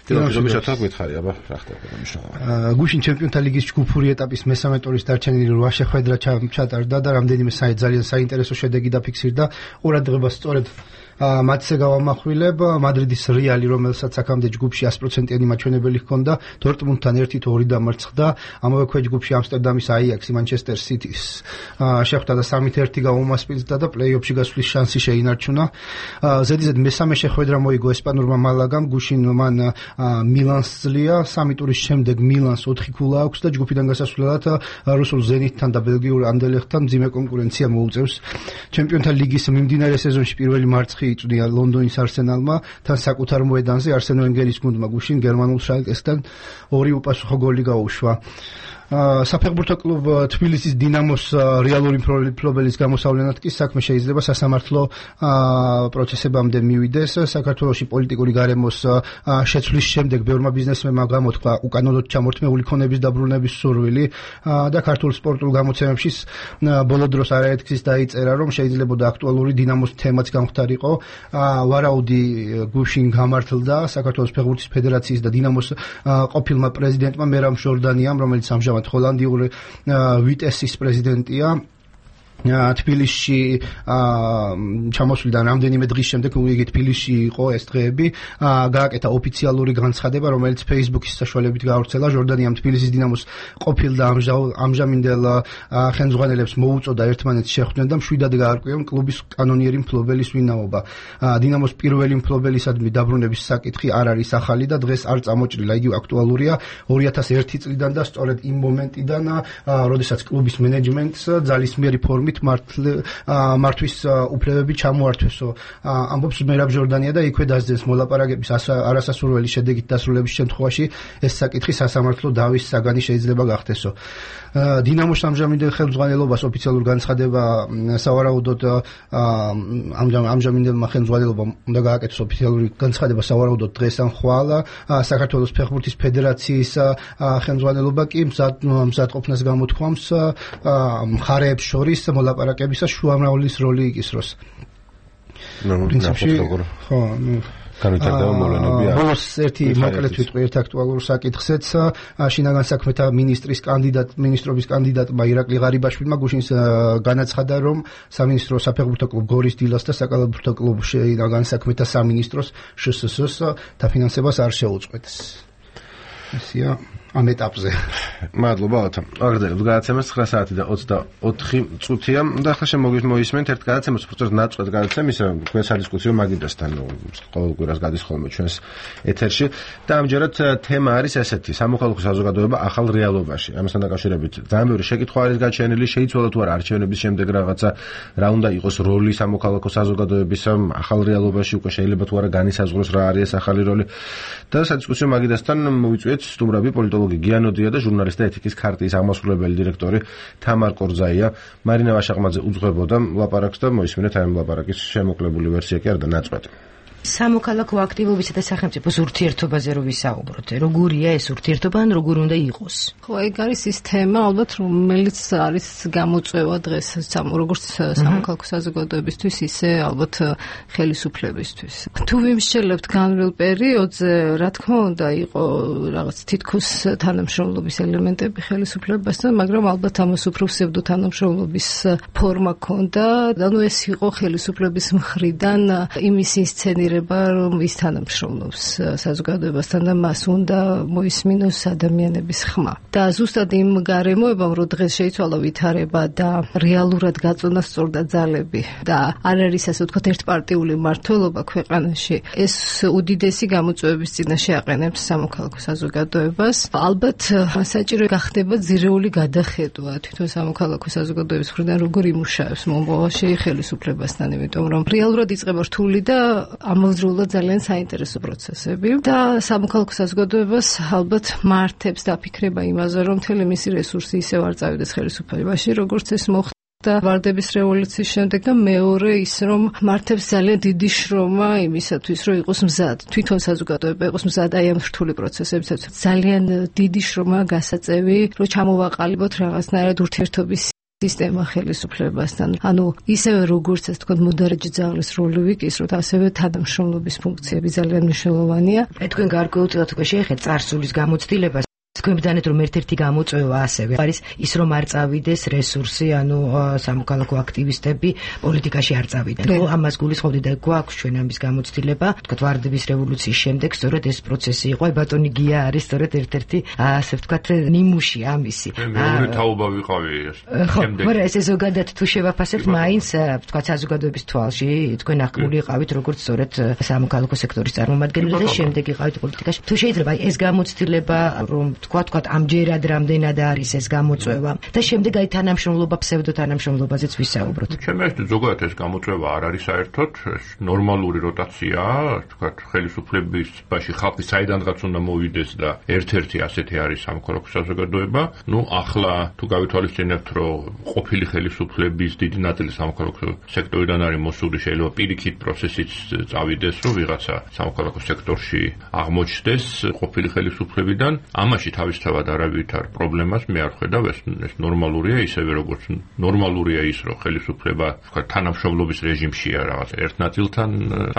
დილობისათა გვითხარი, აბა რა ხდება მნიშვნელოვანი. გუშინ ჩემპიონთა ლიგის ჯგუფური ეტაპის მესამე ტურის დარჩენილი 8 შეხვედრა ჩატარდა და რამდენიმე ძალიან საინტერესო შედეგი დაფიქსირდა. ყურადღებას სწორედ მათზე გავამახვილებ მადრიდის რეალი, რომელსაც აქამდე ჯგუფში 100%-იანი მაჩვენებელი ჰქონდა, დორტმუნდთან 1-2 დამარცხდა, ამავე ქვეჯ ჯგუფში ამსტერდამის აიაქსი მანჩესტერ სიტის შეხვდა და 3-1 გაუმასპინძლა და პლეი-ოფში გასვლის შანსი შეინარჩუნა. ზედიზედ მესამე შეხვედრა მოიგო ესპანურმა მალაგამ, გუშინ მან მილანს ძლია, 3 ტურის შემდეგ მილანს 4 ქულა აქვს და ჯგუფიდან გასასვლელად რუსულ ზენიტთან და ბელგიურ ანდერლეხტთან მძიმე კონკურენცია მოუწევს. ჩემპიონთა ლიგის მიმდინარე სეზონში პირველი მარცხი იწვია ლონდონის არსენალმა, თან საკუთარ მოედანზე არსენ ვენგერის გუნდმა გუშინ გერმანულ შალკესთან 2 უპასუხო გოლი გაუშვა. საფეხბურთო კლუბ თბილისის დინამოს რეალური მფლობელის გამოსავლენად კი საქმე შეიძლება სასამართლო პროცესებამდე მივიდეს. საქართველოში პოლიტიკური გარემოს შეცვლის შემდეგ ბევრმა ბიზნესმენმა გამოთქვა უკანონოდ ჩამორთმეული ქონების დაბრუნების სურვილი და ქართულ სპორტულ გამოცემებში ბოლო დროს არაერთგზის დაიწერა, რომ შეიძლებოდა აქტუალური დინამოს თემაც გამختارიყო. ვარაუდი გუშინ გამართლდა საქართველოს ფეხბურთის ფედერაციის და დინამოს ყოფილმა პრეზიდენტმა მერამ ჟორდანიამ, რომელიც ამჟამად ჰოლანდიური ვიტესის პრეზიდენტია. თბილისში ჩამოსვლიდან რამდენიმე დღის შემდეგ იგი თბილისში იყო ეს დღეები, გააკეთა ოფიციალური განცხადება, რომელიც Facebook-ის საშუალებით გაავრცელა. ჟორდანიამ თბილისის დინამოს ყოფილ და ამჟამინდელ ხელმძღვანელებს მოუწოდა ერთმანეთს შეხვდნენ და მშვიდად გაარკვიონ კლუბის კანონიერი მფლობელის ვინაობა. დინამოს პირველი მფლობელისადმი დაბრუნების საკითხი არ არის ახალი და დღეს არ წამოჭრილა, იგი აქტუალურია 2001 წლიდან და სწორედ იმ მომენტიდან, როდესაც კლუბის მენეჯმენტს ძალისმიერი ფორმით კოლექტივით მართვის უფლებები ჩამოართვესო. ამბობს მერაბ ჟორდანია და იქვე დასძენს მოლაპარაკების არასასურველი შედეგით დასრულების შემთხვევაში ეს საკითხი სასამართლო დავის საგანი შეიძლება გახდესო. დინამოს ამჟამინდელ ხელმძღვანელობას ოფიციალურ განცხადება სავარაუდოდ ამჟამინდელმა ხელმძღვანელობამ უნდა გააკეთოს ოფიციალური განცხადება სავარაუდოდ დღეს ან ხვალ. საქართველოს ფეხბურთის ფედერაციის ხელმძღვანელობა კი მზადყოფნას გამოთქვამს მხარეებს შორის მოლაპარაკებისა შუამრავლის როლი იკისროს. პრინციპში ხო, განვითარდება მოვლენები. ბოლოს ერთი მოკლედ ვიტყვი ერთ აქტუალურ საკითხზეც. შინაგან საქმეთა მინისტრობის კანდიდატმა ირაკლი ღარიბაშვილმა გუშინს განაცხადა, რომ სამინისტრო საფეხბურთო კლუბ გორის დილას და საკალათბურთო კლუბ შინაგან საქმეთა სამინისტროს შსს დაფინანსებას არ შეუწყვეტს. ესია ამ ეტაპზე. მადლობა ოთო. აგრძელებთ გადაცემას 9 საათი და 24 წუთია და ახლა შემოგისმენთ ერთ გადაცემას უბრალოდ ნაწყვეტ გადაცემის თქვენ სადისკუსიო მაგიდასთან ყოველ კვირას გადის ხოლმე ჩვენს ეთერში და ამჯერად თემა არის ესეთი: სამოქალაქო საზოგადოება ახალ რეალობაში. ამასთან დაკავშირებით ძალიან ბევრი შეკითხვა არის გაჩენილი, შეიცვალა თუ არა არჩევნების შემდეგ რაღაცა, რა უნდა იყოს როლი სამოქალაქო საზოგადოების ახალ რეალობაში, უკვე შეიძლება თუ არა განისაზღვროს რა არის ეს ახალი როლი და სადისკუსიო მაგიდასთან მოვიწვიეთ სტუმრები პოლიტოლოგი გიანოდია და ჟურნალისტი ეთიკის ქარტიის აღმასრულებელი დირექტორი თამარ კორძაია. მარინა ვაშაყმაძე უძღვებოდა ლაპარაკს და მოისმინეთ ამ ლაპარაკის შემოკლებული ვერსია კი არ და ნაწყვეტი. სამოქალაქო აქტივობისა და სახელმწიფოს ურთიერთობაზე რო ვისაუბროთ, როგორია ეს ურთიერთობა ან როგორ უნდა იყოს? ხო, ეგ არის ის თემა, ალბათ, რომელიც არის გამოწვევა დღეს როგორც სამოქალაქო საზოგადოებისთვის, ისე ალბათ ხელისუფლებისთვის. თუ ვიმსჯელებთ განვლილ პერიოდზე, რა თქმა უნდა, იყო რაღაც თითქოს თანამშრომლობის ელემენტები ხელისუფლებასთან, მაგრამ ალბათ ამას უფრო ფსევდო თანამშრომლობის ფორმა ჰქონდა. ანუ ეს იყო ხელისუფლების მხრიდან იმის ინსცენირება, რომ ის თანამშრომლობს საზოგადოებასთან და მას უნდა მოისმინოს ადამიანების ხმა. და ზუსტად იმ გარემოებამ, რომ დღეს შეიცვალა ვითარება და რეალურად გაწონა სწორდა ძალები და არ არის ასე ვთქვათ ერთპარტიული მმართველობა ქვეყანაში, ეს უდიდესი გამოწვევების წინაშე აყენებს სამოქალაქო საზოგადოებას. ალბათ საჭირო გახდება ძირეული გადახედვა თვითონ სამოქალაქო საზოგადოების მხრიდან, როგორ იმუშავებს მომავალში ხელისუფლებასთან, იმიტომ რომ რეალურად იწყება რთული და ამავდროულად ძალიან საინტერესო პროცესები და სამოქალაქო საზოგადოებას ალბათ მართებს დაფიქრება იმაზე, რომ მთელი მისი რესურსი ისევ არ წავიდეს ხელისუფლებაში, როგორც ეს მოხდა ვარდების რევოლუციის შემდეგ და მეორე ის, რომ მართებს ძალიან დიდი შრომა იმისათვის, რომ იყოს მზად, თვითონ საზოგადოება იყოს მზად აი ამ რთული პროცესებისათვის. ძალიან დიდი შრომა გასაწევი, რომ ჩამოვაყალიბოთ რაღაცნაირად ურთიერთობის სისტემა ხელისუფლებასთან. ანუ ისევე როგორც ეს თქვა მოდარაჯე ძალის როლი ვიკისროთ, ასევე თანამშრომლობის ფუნქციები ძალიან მნიშვნელოვანია. თქვენ გარკვეულწილად უკვე შეეხეთ წარსულის გამოცდილებას. თქვენ ბრძანეთ, რომ ერთ-ერთი გამოწვევა ასევე არის ის, რომ არ წავიდეს რესურსი, ანუ სამოქალაქო აქტივისტები პოლიტიკაში არ წავიდნენ. ხო, ამას გულისხმობთ და გვაქვს ჩვენ ამის გამოცდილება. თქვა ვარდების რევოლუციის შემდეგ სწორედ ეს პროცესი იყო. ბატონი გია არის სწორედ ერთ-ერთი ასე ვთქვათ ნიმუში ამისი. მეორე თაობა ვიყავი ეს. შემდეგ. ხო, ეს ზოგადად თუ შევაფასებთ, მაინც ვთქვათ საზოგადოების თვალში თქვენ აღქმული იყავით როგორც სწორედ სამოქალაქო სექტორის წარმომადგენელი და შემდეგ იყავით პოლიტიკაში. თუ შეიძლება ეს გამოცდილება რომ თქვა ამჯერად რამდენად არის ეს გამოწვევა და შემდეგ აი თანამშრომლობა ფსევდოთანამშრომლობაზეც ვისაუბროთ. ჩემი აზრით ზოგადად ეს გამოწვევა არ არის საერთოდ, ეს ნორმალური როტაციაა, თქვა ხელისუფლებაში ხალხი საიდანღაც უნდა მოვიდეს და ერთ-ერთი ასეთი არის სამოქალაქო საზოგადოება. ნუ ახლა თუ გავითვალისწინებთ, რომ ყოფილი ხელისუფლების დიდი ნაწილი სამოქალაქო სექტორიდან არის მოსული, შეიძლება პირიქით პროცესიც წავიდეს, რომ ვიღაცა სამოქალაქო სექტორში აღმოჩნდეს ყოფილი ხელისუფლებიდან. ამაში თავისთავად არავითარ პრობლემას მე არ ხედავ, ეს ნორმალურია, ისევე როგორც ნორმალურია ის, რომ ხელისუფლება თანამშრომლობის რეჟიმშია რაღაც ერთ ნაწილთან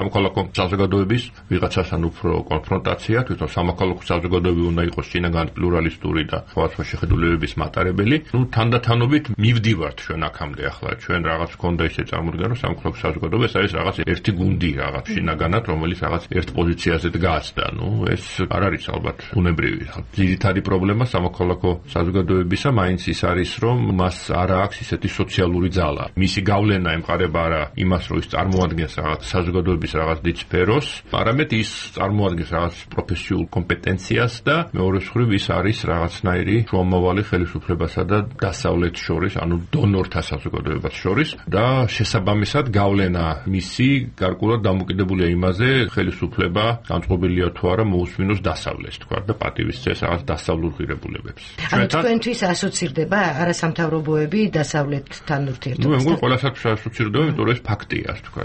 სამოქალაქო საზოგადოების ვიღაცასთან უფრო კონფრონტაცია, თვითონ სამოქალაქო საზოგადოება უნდა იყოს შინაგან პლურალისტური და სხვადასხვა შეხედულებების მატარებელი. ნუ თანდათანობით მივდივართ ჩვენ აქამდე, ახლა ჩვენ რაღაც გქონდა ისე წარმოდგენა, რომ სამოქალაქო საზოგადოება ეს არის რაღაც ერთი გუნდი რაღაც შინაგანად, რომელიც რაღაც ერთ პოზიციაზე დგას და ნუ ეს არ არის ალბათ უნებრივი. ძირითადი პრობლემა სამოქალაქო საზოგადოებისა მაინც ის არის, რომ მას არ აქვს ისეთი სოციალური ძალა. მისი გავლენა ემყარება არა იმას, რომ ის წარმოადგენს რაღაც საზოგადოების რაღაც დიდ სფეროს, არამედ ის წარმოადგენს რაღაც პროფესიულ კომპეტენციას და მეორე მხრივ ის არის რაღაცნაირი შუამავალი ხელისუფლებასა და დასავლეთს შორის, ანუ დონორთა საზოგადოებას შორის და შესაბამისად გავლენა მისი გარკვეულად დამოკიდებულია იმაზე, ხელისუფლება განწყობილია თუ არა მოусმინოს დასავლეთს, თქვა და პატივისცეს რაღაც დასავლურ ღირებულებებს. ანუ თქვენთვის ასოცირდება არასამთავრობოები დასავლეთთან ურთიერთობასთან? მე მგონი ყველასაც ასოცირდება, იმიტომ რომ ეს ფაქტია, თქვა.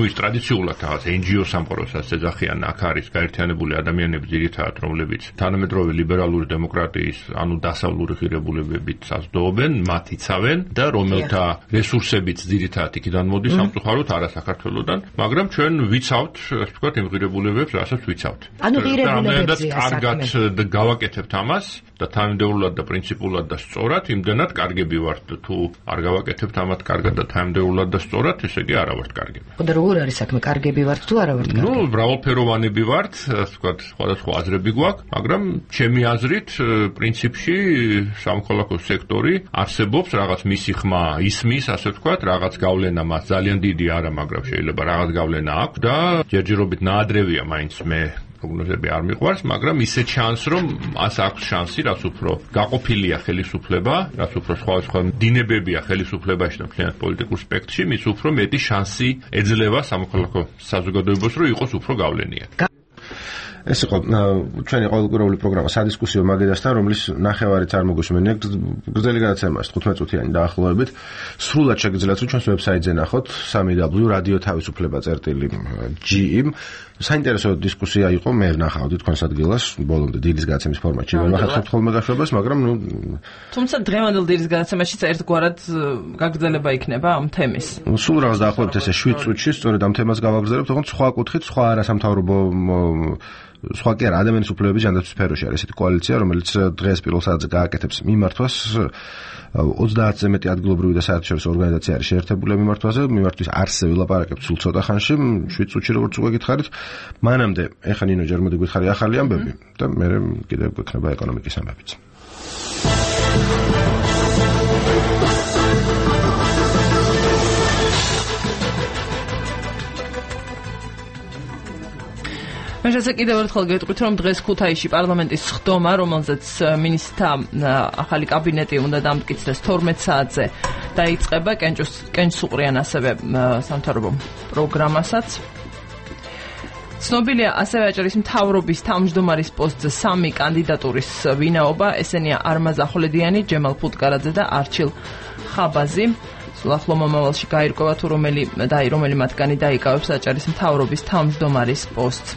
ის ტრადიციულად რაღაც NGO სამყაროსაც ეძახიან, აქ არის გაერთიანებული ადამიანები ძირითადად, რომლებიც თანამედროვე ლიბერალური დემოკრატიის, ანუ დასავლური ღირებულებებით საზრდოობენ, მათ იცავენ და რომელთა რესურსებიც ძირითადად იქიდან მოდის სამწუხაროდ არა საქართველოსდან, მაგრამ ჩვენ ვიცავთ, ასე ვთქვათ, იმ ღირებულებებს, რასაც ვიცავთ. ანუ ღირებულებებზე კარგად გავაკეთებთ ამას და თანამდებულად და პრინციპულად და სწორად, იმდენად კარგები ვართ და თუ არ გავაკეთებთ ამათ კარგად და თანამდებულად და სწორად, ესე იგი არა ვართ კარგები. და როგორ არის საქმე, კარგები ვართ თუ არა ვართ კარგები? მრავალფეროვანები ვართ, ასე ვთქვათ, სხვადასხვა აზრები გვაქვს, მაგრამ ჩემი აზრით, პრინციპში სამოქალაქო სექტორი არსებობს, რაღაც მისი ხმა ისმის, ასე ვთქვათ, რაღაც გავლენა მას ძალიან დიდი არა, მაგრამ შეიძლება რაღაც გავლენა აქვს და ჯერჯერობით ნაადრევია მაინც მე პროგნოზები არ მიყვარს, მაგრამ ისე ჩანს, რომ მას აქვს შანსი, რაც უფრო გაყოფილია ხელისუფლება, რაც უფრო სხვადასხვა დინებებია ხელისუფლებაში და მთლიანად პოლიტიკურ სპექტრში, მის უფრო მეტი შანსი ეძლევა სამოქალაქო საზოგადოებას, რომ იყოს უფრო გავლენიანი. ეს იყო ჩვენი ყოველკვირეული პროგრამა სადისკუსიო მაგედასთან, რომლის ნახევარით არ მოგუსმენია გრძელი გადაცემა 15 წუთიანი დაახლოებით. სრულად შეგიძლიათ რომ ჩვენს ვებსაიტზე ნახოთ www.radio.tav.gr. საინტერესო დისკუსია იყო, მე ნახავდი თქვენს ადგილას, ბოლომდე დილის გადაცემის ფორმატში ვერ ვახერხებთ ხოლმე გაშვებას, მაგრამ თუმცა დღევანდელ დილის გადაცემაშიც ერთგვარად გაგრძელება იქნება ამ თემის. სულ რაღაც დაახლოებით ესე 7 წუთში სწორედ ამ თემას გავაგრძელებთ, თუმცა სხვა კუთხით, სხვა არასამთავრობო სხვა კი არა, ადამიანის უფლებების ჯანდაცვის სფეროში არის ესეთი კოალიცია, რომელიც დღეს პირველ საათზე გააკეთებს მიმართვას 30-ზე მეტი ადგილობრივი და საერთაშორისო ორგანიზაცია არის შეერთებული მიმართვაზე, მიმართვის არსზე ვილაპარაკებთ სულ ცოტა ხანში, 7 წუთში როგორც უკვე გითხარით. მანამდე ეხა ნინო ჯერ მოდი გითხარი ახალი ამბები და მე კიდევ გვექნება ეკონომიკის ამბებიც. მე შეცე კიდევ ერთხელ გეტყვით, რომ დღეს ქუთაისში პარლამენტის სხდომა, რომელზეც მინისტრთა ახალი კაბინეტი უნდა დამტკიცდეს 12 საათზე დაიწყება, კენჭს უყრიან ასევე სამთავრობო პროგრამასაც. ცნობილია ასევე აჭარის მთავრობის თავმჯდომარის პოსტზე 3 კანდიდატურის ვინაობა, ესენია არმაზ ახვლედიანი, ჯემალ ფუტკარაძე და არჩილ ხაბაზი. ახლო მომავალში გაირკვევა თუ რომელი მათგანი დაიკავებს აჭარის მთავრობის თავმჯდომარის პოსტს.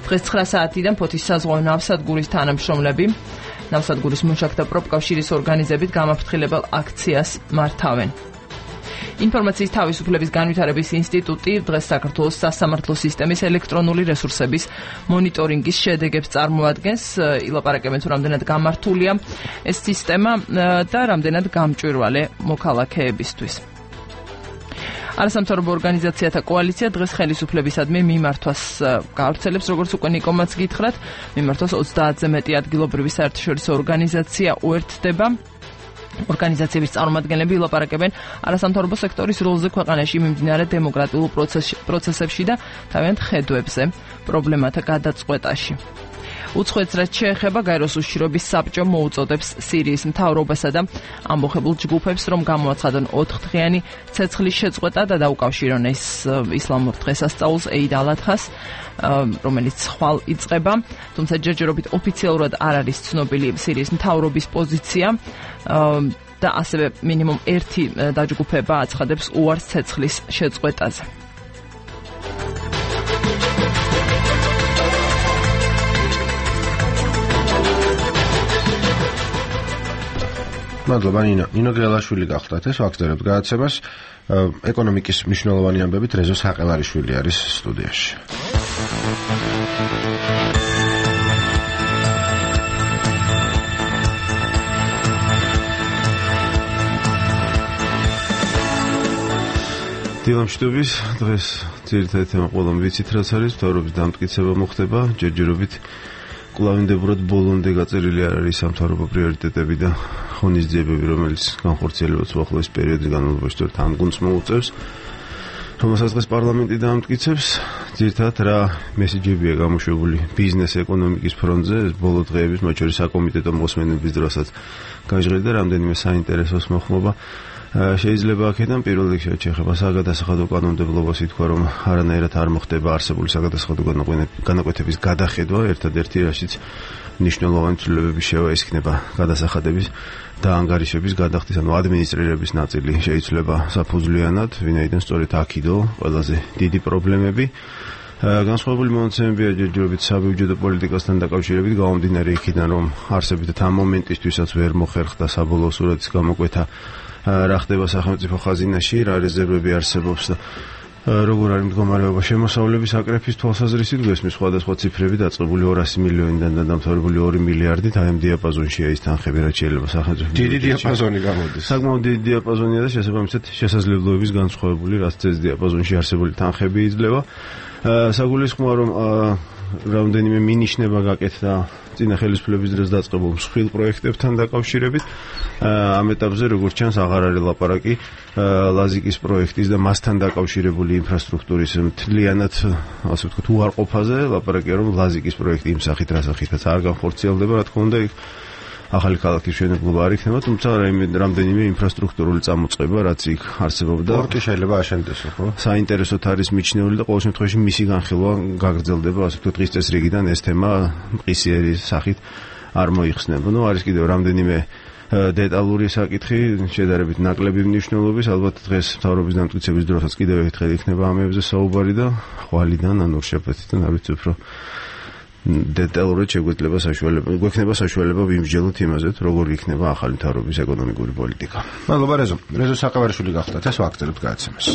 დღეს 9 საათიდან ფოთის საზღვაო ნავსადგურის თანამშრომლები ნავსადგურის მუშაკთა პროფკავშირის ორგანიზებით გამაფრთხილებელ აქციას მართავენ. ინფორმაციის თავისუფლების განვითარების ინსტიტუტი დღეს საქართველოს სასამართლო სისტემის ელექტრონული რესურსების მონიტორინგის შედეგებს წარმოადგენს. ილაპარაკებენ თუ რამდენად გამართულია ეს სისტემა და რამდენად გამჭვირვალე მოქალაქეებისთვის. არასამთავრობო ორგანიზაციათა კოალიცია დღეს ხელისუფლებისადმი მიმართვას გაავრცელებს, როგორც უკვე ნიკომაც გითხრათ, მიმართვას 30-ზე მეტი ადგილობრივი საერთაშორისო ორგანიზაცია უერთდება. ორგანიზაციების წარმომადგენლები ილაპარაკებენ არასამთავრობო სექტორის როლზე ქვეყანაში მიმდინარე დემოკრატიულ პროცესებში და თავიანთ ხედვებზე პრობლემათა გადაწყვეტაში. უცხოეთს რაც შეეხება, გაეროს უშიშროების საბჭო მოუწოდებს სირიის მთავრობასა და ამბოხებულ ჯგუფებს, რომ გამოაცხადონ 4-დღიანი ცეცხლის შეწყვეტა და დაუკავშირონ ეს ისლამურ დღესასწაულს ეიდ ალ-ადჰას, რომელიც ხვალ იწყება. თუმცა ჯერჯერობით ოფიციალურად არ არის ცნობილი სირიის მთავრობის პოზიცია და ასევე მინიმუმ 1 დაჯგუფება აცხადებს უარს ცეცხლის შეწყვეტაზე. მადლობა ნინო გელაშვილი გახლდათ ეს ვაგრძელებთ გადაცემას. ეკონომიკის მნიშვნელოვანი ამბებით რეზო საყელარიშვილი არის სტუდიაში. დილამშვიდობის დღეს ძირითადი თემა ყველამ ვიცით რაც არის, მთავრობის დამტკიცება მოხდება, ჯერჯერობით კლავინდებურად ბოლომდე გაწერილი არ არის სამთავრობო პრიორიტეტები და ღონისძიებები, რომელიც განხორციელებაც უახლოეს პერიოდის განმავლობაში თან გუნდს მოუწევს. რომელსაც დღეს პარლამენტი დაამტკიცებს, ძირითადად რა მესიჯებია გამოშვებული ბიზნეს ეკონომიკის ფრონტზე, ბოლო დღეების, მათ შორის საკომიტეტო მოსმენების დროსაც გაჟღერდა რამდენიმე საინტერესოს მოხმობა. შეიძლება აქედან პირველ რიგში შეეხება საგადასახადო კანონმდებლობას, ითქვა, რომ არანაირად არ მოხდება არსებული საგადასახადო განაკვეთების გადახედვა, ერთადერთი რაშიც მნიშვნელოვანი ცვლილებები შევა ის იქნება გადასახადების და ანგარიშების გადახდის, ანუ ადმინისტრირების ნაწილი შეიძლება საფუძვლიანად, ვინაიდან სწორედ აქიდო ყველაზე დიდი პრობლემები. განსხვავებული მონაცემებია ჯერჯერობით საბიუჯეტო პოლიტიკასთან დაკავშირებით, გამომდინარე იქიდან, რომ არსებითად ამ მომენტისთვისაც ვერ მოხერხდა საბოლოო სურათის გამოკვეთა რა ხდება სახელმწიფო ხაზინაში, რა რეზერვები არსებობს და როგორ არის მდგომარეობა შემოსავლების აკრეფის თვალსაზრისით, გვესმის სხვადასხვა ციფრები დაწყებული 200 მილიონიდან და დამთავრებული 2 მილიარდით, აი ამ დიაპაზონშია ის თანხები, რაც შეიძლება სახელმწიფო. დიდი დიაპაზონი გამოდის. საკმაოდ დიდი დიაპაზონია და შესაბამისად შესაძლებლობების განსხვავებული, რაც ეს დიაპაზონში არსებული თანხები იძლევა. საგულისხმოა, რომ რამდენიმე მინიშნება გაკეთდა წინა ხელისუფლების დროს დაწყებულ მსხვილ პროექტებთან დაკავშირებით. ამ ეტაპზე, როგორც ჩანს, აღარ არის ლაპარაკი ლაზიკის პროექტის და მასთან დაკავშირებული ინფრასტრუქტურის მთლიანად, ასე ვთქვათ, უარყოფაზე. ლაპარაკია, რომ ლაზიკის პროექტი იმ სახით, რა სახითაც არ განხორციელდება, რა თქმა უნდა, ახალი ქალაქის მშენებლობა არ იქნება, თუმცა რამდენიმე ინფრასტრუქტურული წამოწყება, რაც იქ არსებობდა. პორტი შეიძლება აშენდეს, ხო? საინტერესოდ არის მიჩნეული და ყოველ შემთხვევაში მისი განხილვა გაგრძელდება, ასე ვთქვათ, დღის წესრიგიდან ეს თემა მყისიერი სახით არ მოიხსნება. ნუ არის კიდევ რამდენიმე დეტალური საკითხი, შედარებით ნაკლები მნიშვნელობის, ალბათ დღეს მთავრობის დამტკიცების დროსაც კიდევ ერთხელ იქნება ამებზე საუბარი და ხვალიდან ან ორშაბათიდან არ ვიცი უფრო დეტალურად გვექნება საშუალება ვიმსჯელოთ იმაზე, როგორ იქნება ახალი მთავრობის ეკონომიკური პოლიტიკა. მადლობა რეზო საყევარიშვილი გახდათ, ეს ვაგრძელებთ გადაცემას.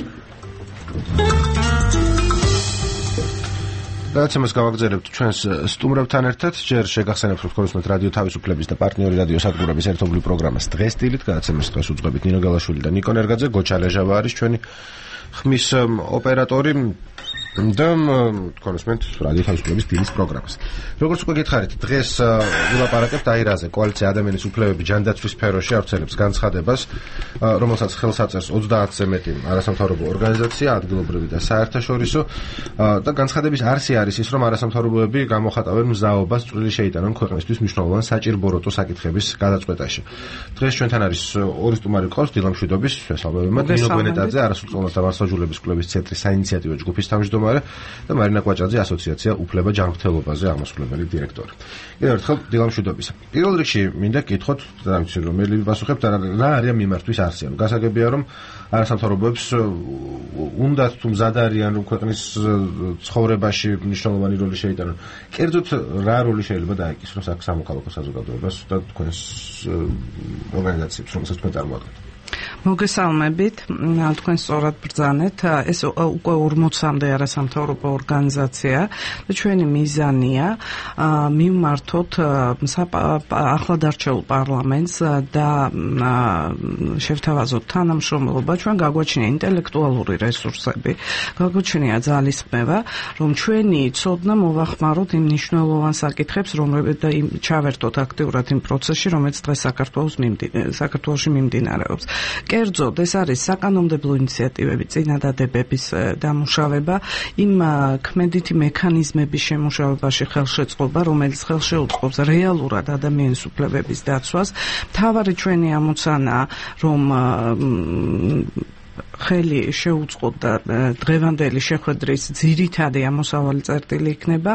გადაცემას გავაგრძელებთ ჩვენს სტუმრებთან ერთად. ჯერ შეგახსენებთ, რომ თქვენს რადიო თავისუფლების და პარტნიორი რადიო სადგურების ერთობლივ პროგრამას დღეს სტილით გადაცემას დღეს უძღვებით ნინო გელაშვილი და ნიკო ნერგაძე. გოჩა ლეჟავა არის ჩვენი ხმის ოპერატორი და თქვენსმენთ რადიო თავისუფლების დილის პროგრამას. როგორც უკვე გითხარით, დღეს ვილაპარაკებთ აირაზე, კოალიცია ადამიანის უფლებები ჯანდაცვის სფეროში ავრცელებს განცხადებას, რომელსაც ხელს აწერს 30-ზე მეტი არასამთავრობო ორგანიზაცია, ადგილობრივი და საერთაშორისო და განცხადების არსი არის ის, რომ არასამთავრობოები გამოხატავენ მზაობას წვლილი შეიტანონ ქვეყნისთვის მნიშვნელოვან საჭირბოროტო საკითხების გადაწყვეტაში. დღეს ჩვენთან არის ორი სტუმარი ყავს, დილამ შვიდობის შესაბამისად ნინო გვენეტაძე, არასრულწლოვანი დამარცხებულების კლუბის ცენტრის საინიციატივო ჯგუფის თავმჯდომარე და მარინა კვაჭაძე ასოციაცია უფლება ჯანმრთელობაზე ამასვლებელი დირექტორი. კიდევ ერთხელ დილამ შვიდობისა. პირველ რიგში მინდა გითხოთ, და ვიცი რომ მერლივი პასუხებთ, რა არის მიმართვის არსი. გასაგებია რომ არასამთავრობოებს უნდათ თუ მზად არიან რომ ქვეყნის ცხოვრებაში მნიშვნელოვანი როლი შეიტანონ. კერძოდ რა როლი შეიძლება დაეკისროს აქ სამოქალაქო საზოგადოებას და თქვენს ორგანიზაციებს, რომელსაც თქვენ წარმოადგენთ? მოგესალმებით, თქვენ სწორად ბრძანეთ, ეს უკვე 40-მდე არასამთავრობო ორგანიზაცია და ჩვენი მიზანია მივმართოთ ახლად არჩეულ პარლამენტს და შევთავაზოთ თანამშრომლობა, ჩვენ გაგვაჩნია ინტელექტუალური რესურსები, გაგვაჩნია ძალისხმევა, რომ ჩვენი ცოდნა მოვახმაროთ იმ მნიშვნელოვან საკითხებს, რომლებიც და ჩავერთოთ აქტიურად იმ პროცესში, რომელიც დღეს საქართველოში მიმდინარეობს. კერძოდ ეს არის საკანონმდებლო ინიციატივები, წინადადებების დამუშავება, იმ ქმედითი მექანიზმების შემუშავებაში ხელშეწყობა, რომელიც ხელშეუწყობს რეალურად ადამიანის უფლებების დაცვას. მთავარი ჩვენი ამოცანაა, რომ ხელი შეუწყოთ და დღევანდელი შეხვედრის ძირითადი ამოსავალი წერტილი იქნება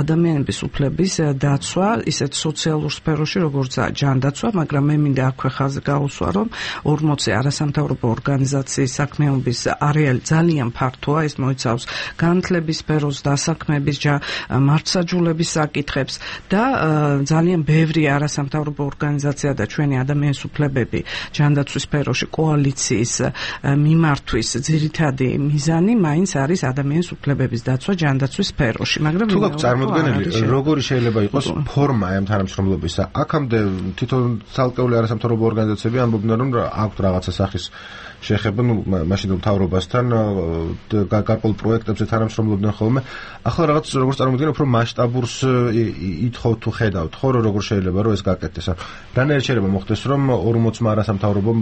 ადამიანების უფლების დაცვა, ისეთ სოციალურ სფეროში, როგორიცაა ჯანდაცვა, მაგრამ მე მინდა აქვე ხაზი გაუსვა, რომ 40 არასამთავრობო ორგანიზაციის საქმიანობის არეალი ძალიან ფართოა, ეს მოიცავს განათლების სფეროს, დასაქმების, მართლმსაჯულების საკითხებს და ძალიან ბევრი არასამთავრობო ორგანიზაცია და ჩვენი ადამიანის უფლებები ჯანდაცვის სფეროში კოალიციის მიმართვის ძირითადი მიზანი მაინც არის ადამიანის უფლებების დაცვა ჯანდაცვის სფეროში, მაგრამ თუ გაქვთ წარმოდგენილი, როგორი შეიძლება იყოს ფორმა ამ თანამშრომლობისა? აქამდე თვითონ ცალკეული არასამთავრობო ორგანიზაციები ამბობდნენ, რომ აქვთ რაღაცა სახის შეხება, მაშინ მთავრობასთან გარკვეულ პროექტებზე თანამშრომლობდნენ ხოლმე. ახლა რაღაც როგორც წარმოგვიდგენთ, უფრო მასშტაბურს ითხოვთ თუ ხედავთ, ხო, როგორ შეიძლება რომ ეს გაკეთდეს? რანაირად შეიძლება მოხდეს, რომ 40-მა არასამთავრობომ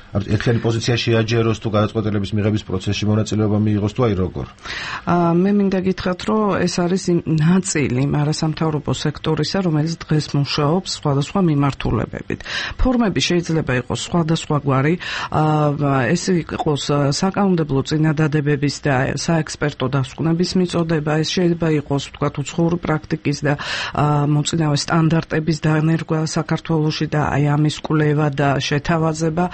ერთიანი პოზიცია შეაჯეროს თუ გადაწყვეტილების მიღების პროცესში მონაწილეობა მიიღოს თუ აი როგორ? მე მინდა გითხრათ, რომ ეს არის ნაწილი არასამთავრობო სექტორისა, რომელიც დღეს მუშაობს სხვადასხვა მიმართულებებით. ფორმები შეიძლება იყოს სხვადასხვაგვარი, ეს იყოს საკანონმდებლო წინადადებების და საექსპერტო დასკვნების მიწოდება, ეს შეიძლება იყოს ვთქვათ უცხოური პრაქტიკის და მოწინავე სტანდარტების დანერგვა საქართველოში და აი ამის კვლევა და შეთავაზება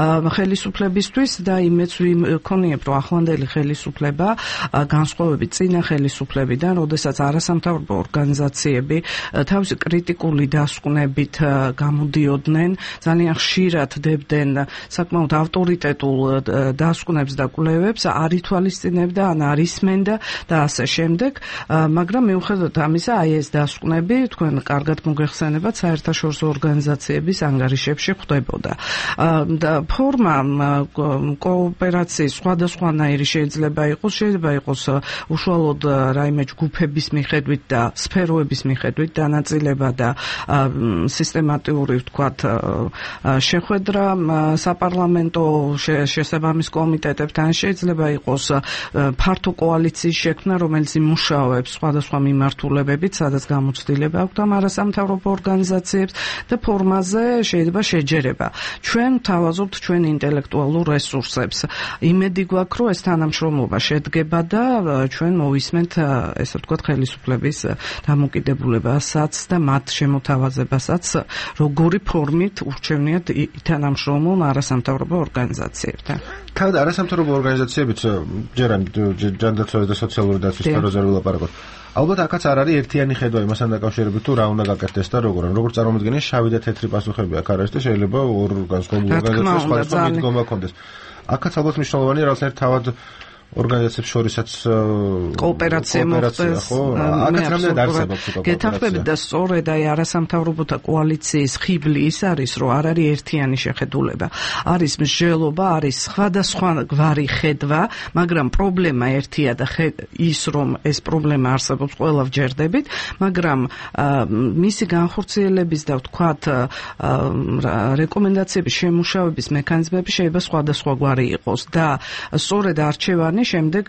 ხელისუფლებისთვის და იმეც ვიქონიებ, რომ ახლანდელი ხელისუფლება განსხვავებით წინა ხელისუფლებიდან, როდესაც არასამთავრობო ორგანიზაციები თავისი კრიტიკული დასკვნებით გამოდიოდნენ, ძალიან ხშირად დებდნენ საკმაოდ ავტორიტეტულ დასკვნებს და კვლევებს, არ ითვალისწინებდა, ან არ ისმენდა და ასე შემდეგ, მაგრამ მიუხედავად ამისა, აი ეს დასკვნები თქვენ კარგად მოგეხსენებათ, საერთაშორისო ორგანიზაციების ანგარიშებში ხვდებოდა. ფორმა კოოპერაციის სხვადასხვანაირი შეიძლება იყოს უშუალოდ რაიმე ჯგუფების მიხედვით და სფეროების მიხედვით დანაწილება და სისტემატიური ვთქვათ შეხვედრა საპარლამენტო შესაბამის კომიტეტებთან, შეიძლება იყოს ფართო კოალიციის შექმნა, რომელიც იმუშავებს სხვადასხვა მიმართულებებით, სადაც გამოცდილება აქვთ ამ არასამთავრობო ორგანიზაციებს და ფორმაზე შეიძლება შეჯერება. ჩვენ თავაზობთ ჩვენ ინტელექტუალურ რესურსებს. იმედი გვაქვს, რომ ეს თანამშრომლობა შედგება და ჩვენ მოვისმენთ ესე ვთქვათ ხელისუფლების დამოკიდებულებასაც და მათ შემოთავაზებასაც, როგორი ფორმით ურჩევნიათ თანამშრომლობ არასამთავრობო ორგანიზაციებთან. თავად არასამთავრობო ორგანიზაციებიც ჯერ ამ ჯანდაცვის და სოციალური დაცვის სფეროზე ვილაპარაკოთ. ალბათ აქაც არ არის ერთიანი ხედვა იმასთან დაკავშირებით, თუ რა უნდა გაკეთდეს და როგორ. როგორც წარმოვიდგენია, შავი და თეთრი პასუხები აქ არის და შეიძლება ორ განსხვავებულ ორგანიზაციებს სხვადასხვა მიდგომა ჰქონდეს. აქაც ალბათ მნიშვნელოვანია რაღაცნაირად თავად ორგანიზაციებს შორისაც კოოპერაცია მოხდეს. აქაც რამდენად არსებობს კოოპერაცია? გეთახმებით და სწორედ აი არასამთავრობოთა კოალიციის ხიბლი ის არის, რომ არ არის ერთიანი შეხედულება. არის მსჯელობა, არის სხვადასხვაგვარი ხედვა, მაგრამ პრობლემა ერთია და ის, რომ ეს პრობლემა არსებობს, ყველა ვჯერდებით, მაგრამ მისი განხორციელების და ვთქვათ რეკომენდაციების შემუშავების მექანიზმები შეიძლება სხვადასხვაგვარი იყოს და სწორედ არჩევანი შემდეგ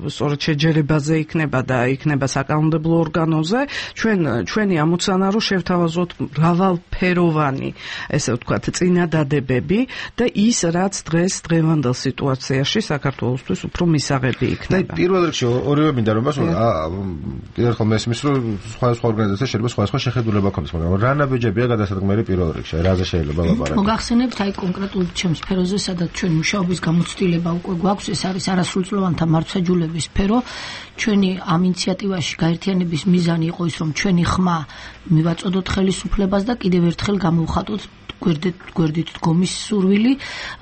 სწორედ შეჯერებაზე იქნება და იქნება საკანონმდებლო ორგანოზე. ჩვენი ამოცანა რომ შევთავაზოთ მრავალფეროვანი, ესე ვთქვათ, წინადადებები და ის, რაც დღევანდელ სიტუაციაში საქართველოსთვის უფრო მისაღები იქნება. პირველ რიგში ორივე მინდა რომ მასულა კიდევ ერთხელ მესმის რომ სხვადასხვა ორგანიზაცია შეიძლება სხვადასხვა შეხედულება ქონდეს, მაგრამ რა ნაბიჯებია გადასადგმელი პირველ რიგში, რაზე შეიძლება ლაპარაკო? მოგახსენებთ აი კონკრეტულ ჩემს სფეროზე, სადაც ჩვენ მუშაობის გამოცდილება უკვე გვაქვს, ეს არის არასრულწლოვანთა მართლმსაჯულების სფერო. ჩვენი ამ ინიციატივაში გაერთიანების მიზანი იყო ის, რომ ჩვენი ხმა მივაწოდოთ ხელისუფლებას და კიდევ ერთხელ გამოვხატოთ გვერდით დგომის სურვილი.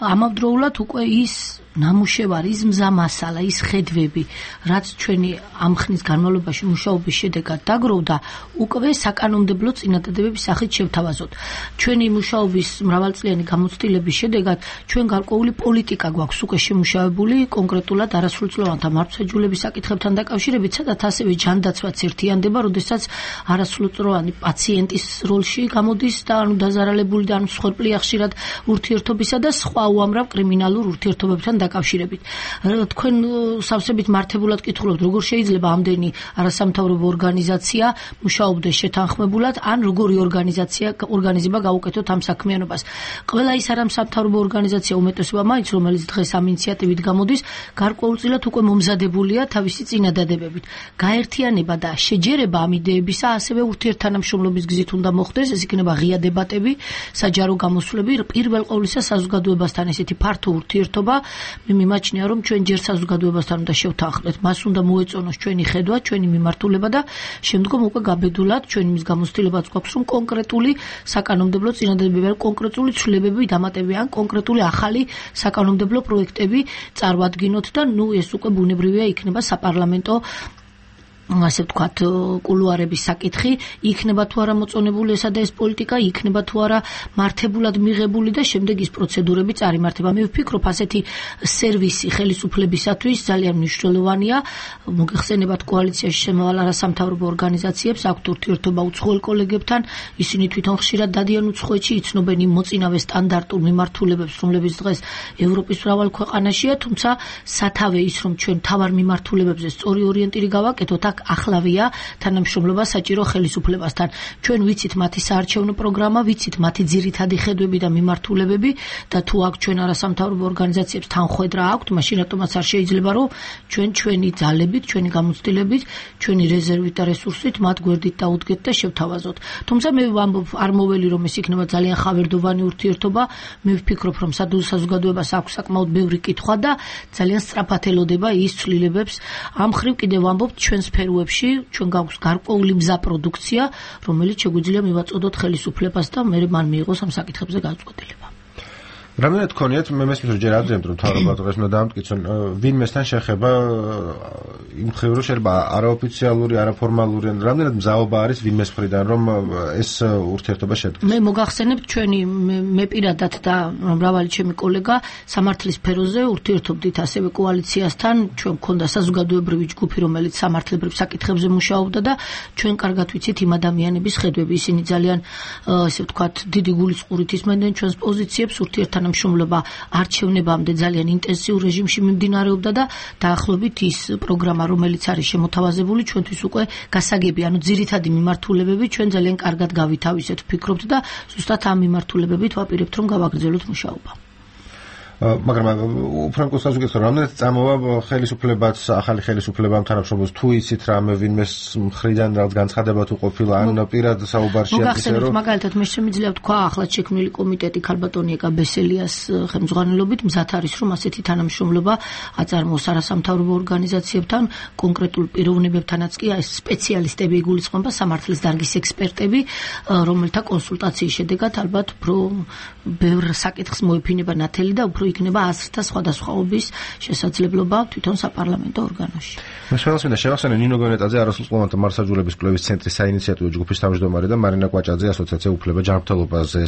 ამავდროულად უკვე ის ნამუშევარი, ის მზა მასალა, ის ხედვები, რაც ჩვენი ამ ხნის განმავლობაში მუშაობის შედეგად დაგროვდა, უკვე საკანონმდებლო წინადადებების სახით შევთავაზოთ. ჩვენი მუშაობის მრავალწლიანი გამოცდილების შედეგად ჩვენ გარკვეული პოლიტიკა გვაქვს უკვე შემუშავებული, კონკრეტულად არასრულწლოვანთა მართლმსაჯულების საკითხებთან დაკავშირებით, სადაც ასევე ჯანდაცვაც ერთიანდება, როდესაც არასრულწლოვანი პაციენტის როლში გამოდის და დაზარალებული და მსხვერპლია ხშირად ურთიერთობისა და სხვა უამრავ კრიმინალურ ურთიერთობებთან დაკავშირებით. თქვენ სავსებით მართებულად კითხულობთ, როგორ შეიძლება ამდენი არასამთავრობო ორგანიზაცია მუშაობდეს შეთანხმებულად, ან როგორი ორგანიზება გაუკეთოთ ამ საქმიანობას. ყველა ის არასამთავრობო ორგანიზაცია უმეტესობა მაინც, რომელიც დღეს ამ ინიციატივით გამოდის, გარკვეულწილად უკვე მომზადებულია თავისი წინადადებებით. გაერთიანება და შეჯერება ამ იდეებისა ასევე ურთიერთთანამშრომლობის გზით უნდა მოხდეს, ეს იქნება ღია დებატები, საჯარო გამოსვლები, პირველ ყოვლისა საზოგადოებასთან ესეთი ფართო ურთიერთობა მე მიმაჩნია რომ ჩვენ ჯერ საზოგადოებასთან უნდა შევთანხმდეთ, მას უნდა მოეწონოს ჩვენი ხედვა, ჩვენი მიმართულება და შემდგომ უკვე გაბედულად ჩვენ იმის გამოცდილებაც გვაქვს რომ კონკრეტული საკანონმდებლო წინადადებები ან კონკრეტული ცვლილებები დამატებიან, კონკრეტული ახალი საკანონმდებლო პროექტები წარვადგინოთ და ეს უკვე ბუნებრივია იქნება საპარლამენტო ასე ვთქვათ, კულუარების საკითხი, იქნება თუ არა მოწონებული ესა და ეს პოლიტიკა, იქნება თუ არა მართებულად მიღებული და შემდეგ ის პროცედურები წარიმართება. მე ვფიქრობ, ასეთი სერვისი ხელისუფლებისათვის ძალიან მნიშვნელოვანია. მოგეხსენებათ კოალიციაში შემავალ არასამთავრობო ორგანიზაციებს აქვთ ურთიერთობა უცხოელ კოლეგებთან, ისინი თვითონ ხშირად დადიან უცხოეთში, იცნობენ იმ მოწინავე სტანდარტულ მიმართულებებს, რომლებიც დღეს ევროპის მრავალ ქვეყანაშია, თუმცა სათავე ის, რომ ჩვენ თავარ მიმართულებებზე სწორი ორიენტირი გავაკეთოთ, აქ ახლავია თანამშრომლობა საჭირო ხელისუფლებასთან. ჩვენ ვიცით მათი საარჩევნო პროგრამა, ვიცით მათი ძირითადი ხედვები და მიმართულებები და თუ აქ ჩვენ არასამთავრობო ორგანიზაციებს თანხwebdriver აქვთ, მაშინ რატომაც არ შეიძლება რომ ჩვენ ჩვენი ძალებით, ჩვენი გამოცდილებით, ჩვენი რეზერვით და რესურსით მათ გვერდით დაუდგეთ და შევთავაზოთ. თუმცა მე ვამბობ, არ მოველი რომ ეს იქნება ძალიან ხავერდოვანი ურთიერთობა, მე ვფიქრობ რომ საზოგადოებას აქვს საკმაოდ ბევრი კითხვა და ძალიან სწრაფად ელოდება ის ცვლილებებს. ამ ხრივ კიდევ ვამბობ ჩვენ სფეროებში ჩვენ გაქვს გარკვეული მზა პროდუქცია, რომელიც შეგვიძლია მივაწოდოთ ხელისუფლებას და მე მან მიიღოს ამ საკითხებზე გადაწყვეტილება. რამდენად გქონიათ მე მესმის რომ ჯერ ადრე რომ თავრობა დღეს უნდა დამტკიცონ ვინმესთან შეხება იმ მხრივ რომ შეიძლება არაოფიციალური, არაფორმალური, რამდენად მზაობა არის ვინმეს მხრიდან რომ ეს ურთიერთობა შედგეს. მე მოგახსენებთ ჩვენი მე პირადად და მრავალი ჩემი კოლეგა სამართლის სფეროზე ურთიერთობდით ასევე კოალიციასთან, ჩვენ გქონდა საზოგადოებრივი ჯგუფი, რომელიც სამართლებრივ საკითხებზე მუშაობდა და ჩვენ კარგად ვიცით იმ ადამიანების ხედვები, ისინი ძალიან ესე ვთქვათ დიდი გულისყურით ისმენდნენ ჩვენს პოზიციებს ურთიერთთან თანამშრომლობა არჩევნებამდე ძალიან ინტენსიურ რეჟიმში მიმდინარეობდა და დაახლოებით ის პროგრამა, რომელიც არის შემოთავაზებული, ჩვენთვის უკვე გასაგები, ანუ ძირითადი მიმართულებები ჩვენ ძალიან კარგად გავითავისეთ, ვფიქრობთ და ზუსტად ამ მიმართულებებით ვაპირებთ რომ გავაგრძელოთ მუშაობა. მაგრამ უფრო საზოგადოებას რამდენად წამოვა ხელისუფლებაც, ახალი ხელისუფლებამ თანამშრომლობს, თუ იცით რამე ვინმეს მხრიდან რაღაც განცხადება თუ ყოფილა, ან პირად საუბარშია ისე რომ მაგალითად მე შემიძლია ვთქვა ახლად შექმნილი კომიტეტი ქალბატონი ეკაბესელიას ხელმძღვანელობით მზად არის რომ ასეთი თანამშრომლობა აწარმოოს არასამთავრობო ორგანიზაციებთან, კონკრეტულ პიროვნებებთანაც კი ეს სპეციალისტები იგულისხმება, სამართლის დარგის ექსპერტები, რომელთა კონსულტაციის შედეგად ალბათ უფრო ბევრ საკითხს მოეფინება ნათელი და უფრო იქნება აზრთა სხვადასხვაობის შესაძლებლობა თვითონ საპარლამენტო ორგანოში. მე შეიძლება შევახსენე ნინო გონეტაძე არასრულყოფილთა მარსაჯულების კვლევის ცენტრის საინიციატივო ჯგუფის თავმჯდომარე და მარინა კვაჭაძე ასოციაცია უფლება ჯანმრთელობაზე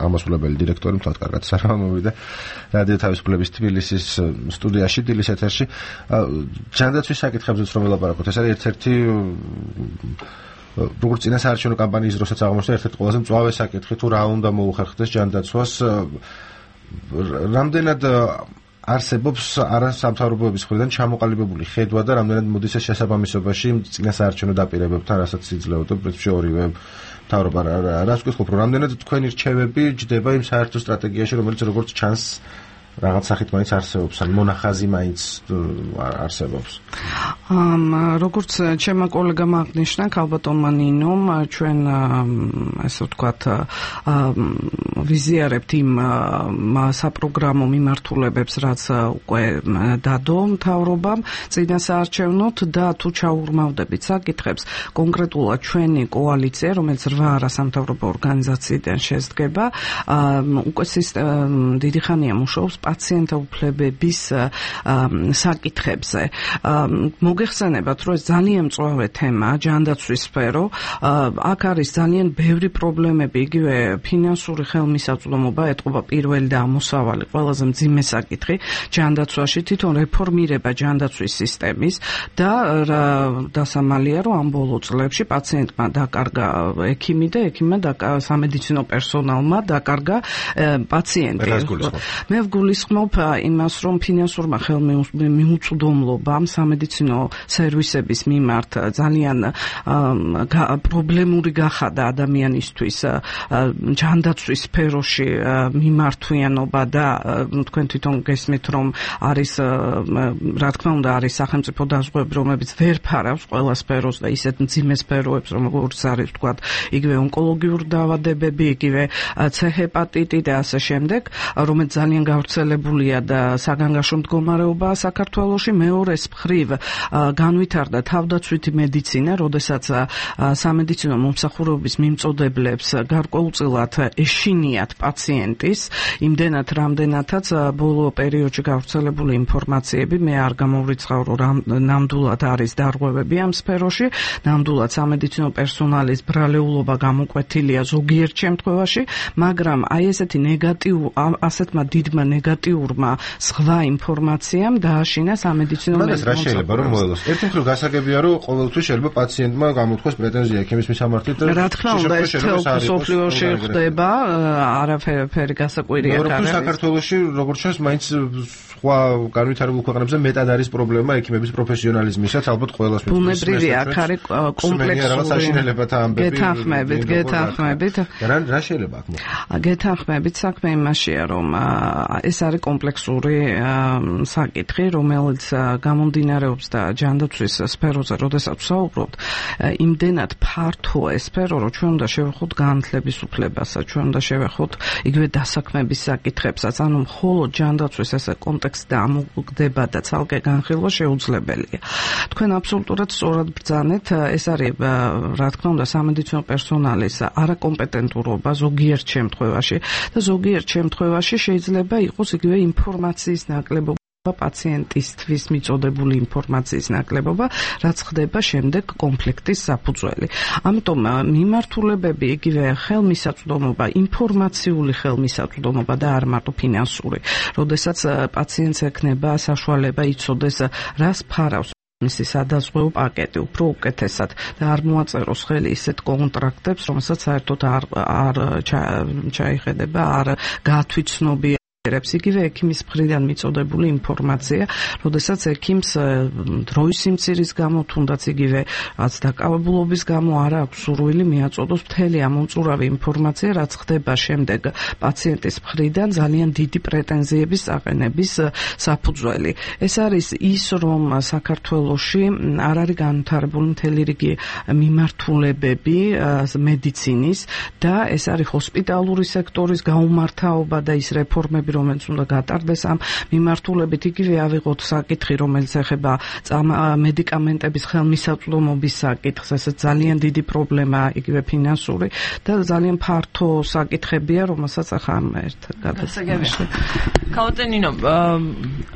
ამასულებელი დირექტორი, მთლად კარგად სარამოვიდა რადიო თავისუფლების თბილისის სტუდიაში, დილის ეთერში. ჯანდაცვის საკითხებზეც რომ ველაპარაკოთ, ეს არის ერთ-ერთი როგორც წინა საარჩევნო კამპანიის დროსაც აღმოჩნდა ერთ-ერთი ყველაზე მწვავე საკითხი თუ რა უნდა მოუხერხდეს ჯანდაცვას. რამდენად არსებობს არასამთავრობოების მხრიდან ჩამოყალიბებული ხედვა და რამდენად მოდის ეს შესაბამისობაში წინა საარჩევნო დაპირებებთან, რასაც იძლეოდა პრინციპში ორივე მთავრობა. რას გითხობ, რომ რამდენად თქვენი რჩევები ჯდება იმ საერთო სტრატეგიაში, რომელიც როგორც ჩანს რაღაც სახით მაინც არსებობს, ან მონახაზი მაინც არსებობს. როგორც ჩემმა კოლეგამ აღნიშნა, ქალბატონმა ნინომ, ჩვენ ასე ვთქვათ ვიზიარებთ იმ საპროგრამო მიმართულებებს, რაც უკვე დადო მთავრობამ წინა საარჩევნოთ და თუ ჩაურმავდებით საკითხებს, კონკრეტულად ჩვენი კოალიცია, რომელიც 8 არასამთავრობო ორგანიზაციიდან შედგება, უკვე დიდი ხანია მუშაობს პაციენტთა უფლებების საკითხებზე. მოგეხსენებათ, რომ ეს ძალიან მწვავე თემაა, ჯანდაცვის სფერო. აქ არის ძალიან ბევრი პრობლემები, იგივე ფინანსური ხელმისაწვდომობა ეტყობა პირველი და ამოსავალი ყველაზე მძიმე საკითხი ჯანდაცვაში, თვითონ რეფორმირება ჯანდაცვის სისტემის და დასამალია, რომ ამ ბოლო წლებში პაციენტმა დაკარგა ექიმი და ექიმმა სამედიცინო პერსონალმა დაკარგა პაციენტი. მე ვგულისხმობ იმას, რომ ფინანსურმა ხელმისაწვდომობამ სამედიცინო სერვისების მიმართ ძალიან პრობლემური გახადა ადამიანისთვის ჯანდაცვის სფეროში მიმართვიანობა და თქვენ თვითონ გესმით, რომ არის რა თქმა უნდა არის სახელმწიფო დაზღვევები, რომლებიც ვერ ფარავს ყველა სფეროს და ისეთ მძიმე სფეროებს, როგორც არის ვთქვათ, იგივე ონკოლოგიური დაავადებები, იგივე C ჰეპატიტი და ასე შემდეგ, რომელიც ძალიან გავრცელებულია გავრცელებულია და საგანგაშო მდგომარეობაა საქართველოში. მეორეს მხრივ განვითარდა თავდაცვითი მედიცინა, როდესაც სამედიცინო მომსახურების მიმწოდებლებს გარკვეულწილად ეშინიათ პაციენტის, იმდენად რამდენადაც ბოლო პერიოდში გავრცელებული ინფორმაციები მე არ გამოვრიცხავ, რომ ნამდვილად არის დარღვევები ამ სფეროში, ნამდვილად სამედიცინო პერსონალის ბრალეულობა გამოკვეთილია ზოგიერთ შემთხვევაში, მაგრამ აი ესეთი ასეთმა დიდმა ნეგატიურმა სხვა ინფორმაციამ დააშინა სამედიცინო მაგას რა შეიძლება რომ მოელოს? ერთი მხრივ გასაგებია რომ ყოველთვის შეიძლება პაციენტმა გამოთქვას პრეტენზია ექიმის მისამართით და რა თქმა უნდა ეს სოფლიოში ხდება, არაფერი გასაკვირია არ არის. საქართველოში როგორც ჩანს მაინც სხვა განვითარებულ ქვეყნებზე მეტად არის პრობლემა ექიმების პროფესიონალიზმისაც, ალბათ ყველას მithomს. ბუნებრივია, აქ არის კომპლექსური. გეთანხმებით. რა შეიძლება აქ მოხდეს? გეთანხმებით, საქმე იმაშია, რომ ეს არის კომპლექსური საკითხი, რომელიც გამომდინარეობს და ჯანდაცვის სფეროზე, როდესაც ვსაუბრობთ, იმდენად ფართოა ეს სფერო, რომ ჩვენ უნდა შევეხოთ განათლების უფლებასაც, ჩვენ უნდა შევეხოთ იგივე დასაქმების საკითხებსაც, ანუ მხოლოდ ჯანდაცვის ესე კონტექსტი ამოგვდება და ცალკე განხილვა შეუძლებელია. თქვენ აბსოლუტურად სწორად ბრძანეთ, ეს არის რა თქმა უნდა სამედიცინო პერსონალის არაკომპეტენტურობა ზოგიერთ შემთხვევაში და ზოგიერთ შემთხვევაში შეიძლება იყოს იგივე ინფორმაციის ნაკლებობა პაციენტისთვის მიწოდებული ინფორმაციის ნაკლებობა, რაც ხდება შემდეგ კონფლიქტის საფუძველი. ამიტომ მიმართულებები იგივე ხელმისაწვდომობა, ინფორმაციული ხელმისაწვდომობა და არ მარტო ფინანსური, როდესაც პაციენტს ექნება საშუალება იცოდეს რას ფარავს მისი სადაზღვეო პაკეტი, უფრო უკეთესად და არ მოაწეროს ხელი ისეთ კონტრაქტებს, რომელსაც საერთოდ არ ჩაიხედება, არ გაათვითცნობია. იგივე ექიმის მხრიდან მიწოდებული ინფორმაცია, როდესაც ექიმს დროის სიმცირის გამო, თუნდაც იგივე რაც დაკავებულობის გამო არ აქვს სურვილი მიაწოდოს მთელი ამ უწურავი ინფორმაცია, რაც ხდება შემდეგ პაციენტის მხრიდან ძალიან დიდი პრეტენზიების აყენების საფუძველი. ეს არის ის, რომ საქართველოში არ არის განვითარებული მთელი რიგი მიმართულებები მედიცინის და ეს არის ჰოსპიტალური სექტორის გაუმართავობა და ის რეფორმები, რომელიც უნდა გატარდეს ამ მიმართულებით. იგივე ავიღოთ საკითხი, რომელიც ეხება მედიკამენტების ხელმისაწვდომობის საკითხს, ეს ძალიან დიდი პრობლემაა, იგივე ფინანსური და ძალიან ფართო საკითხებია, რომელსაც ახლა ერთ გადასაგებია. კაუტენინო,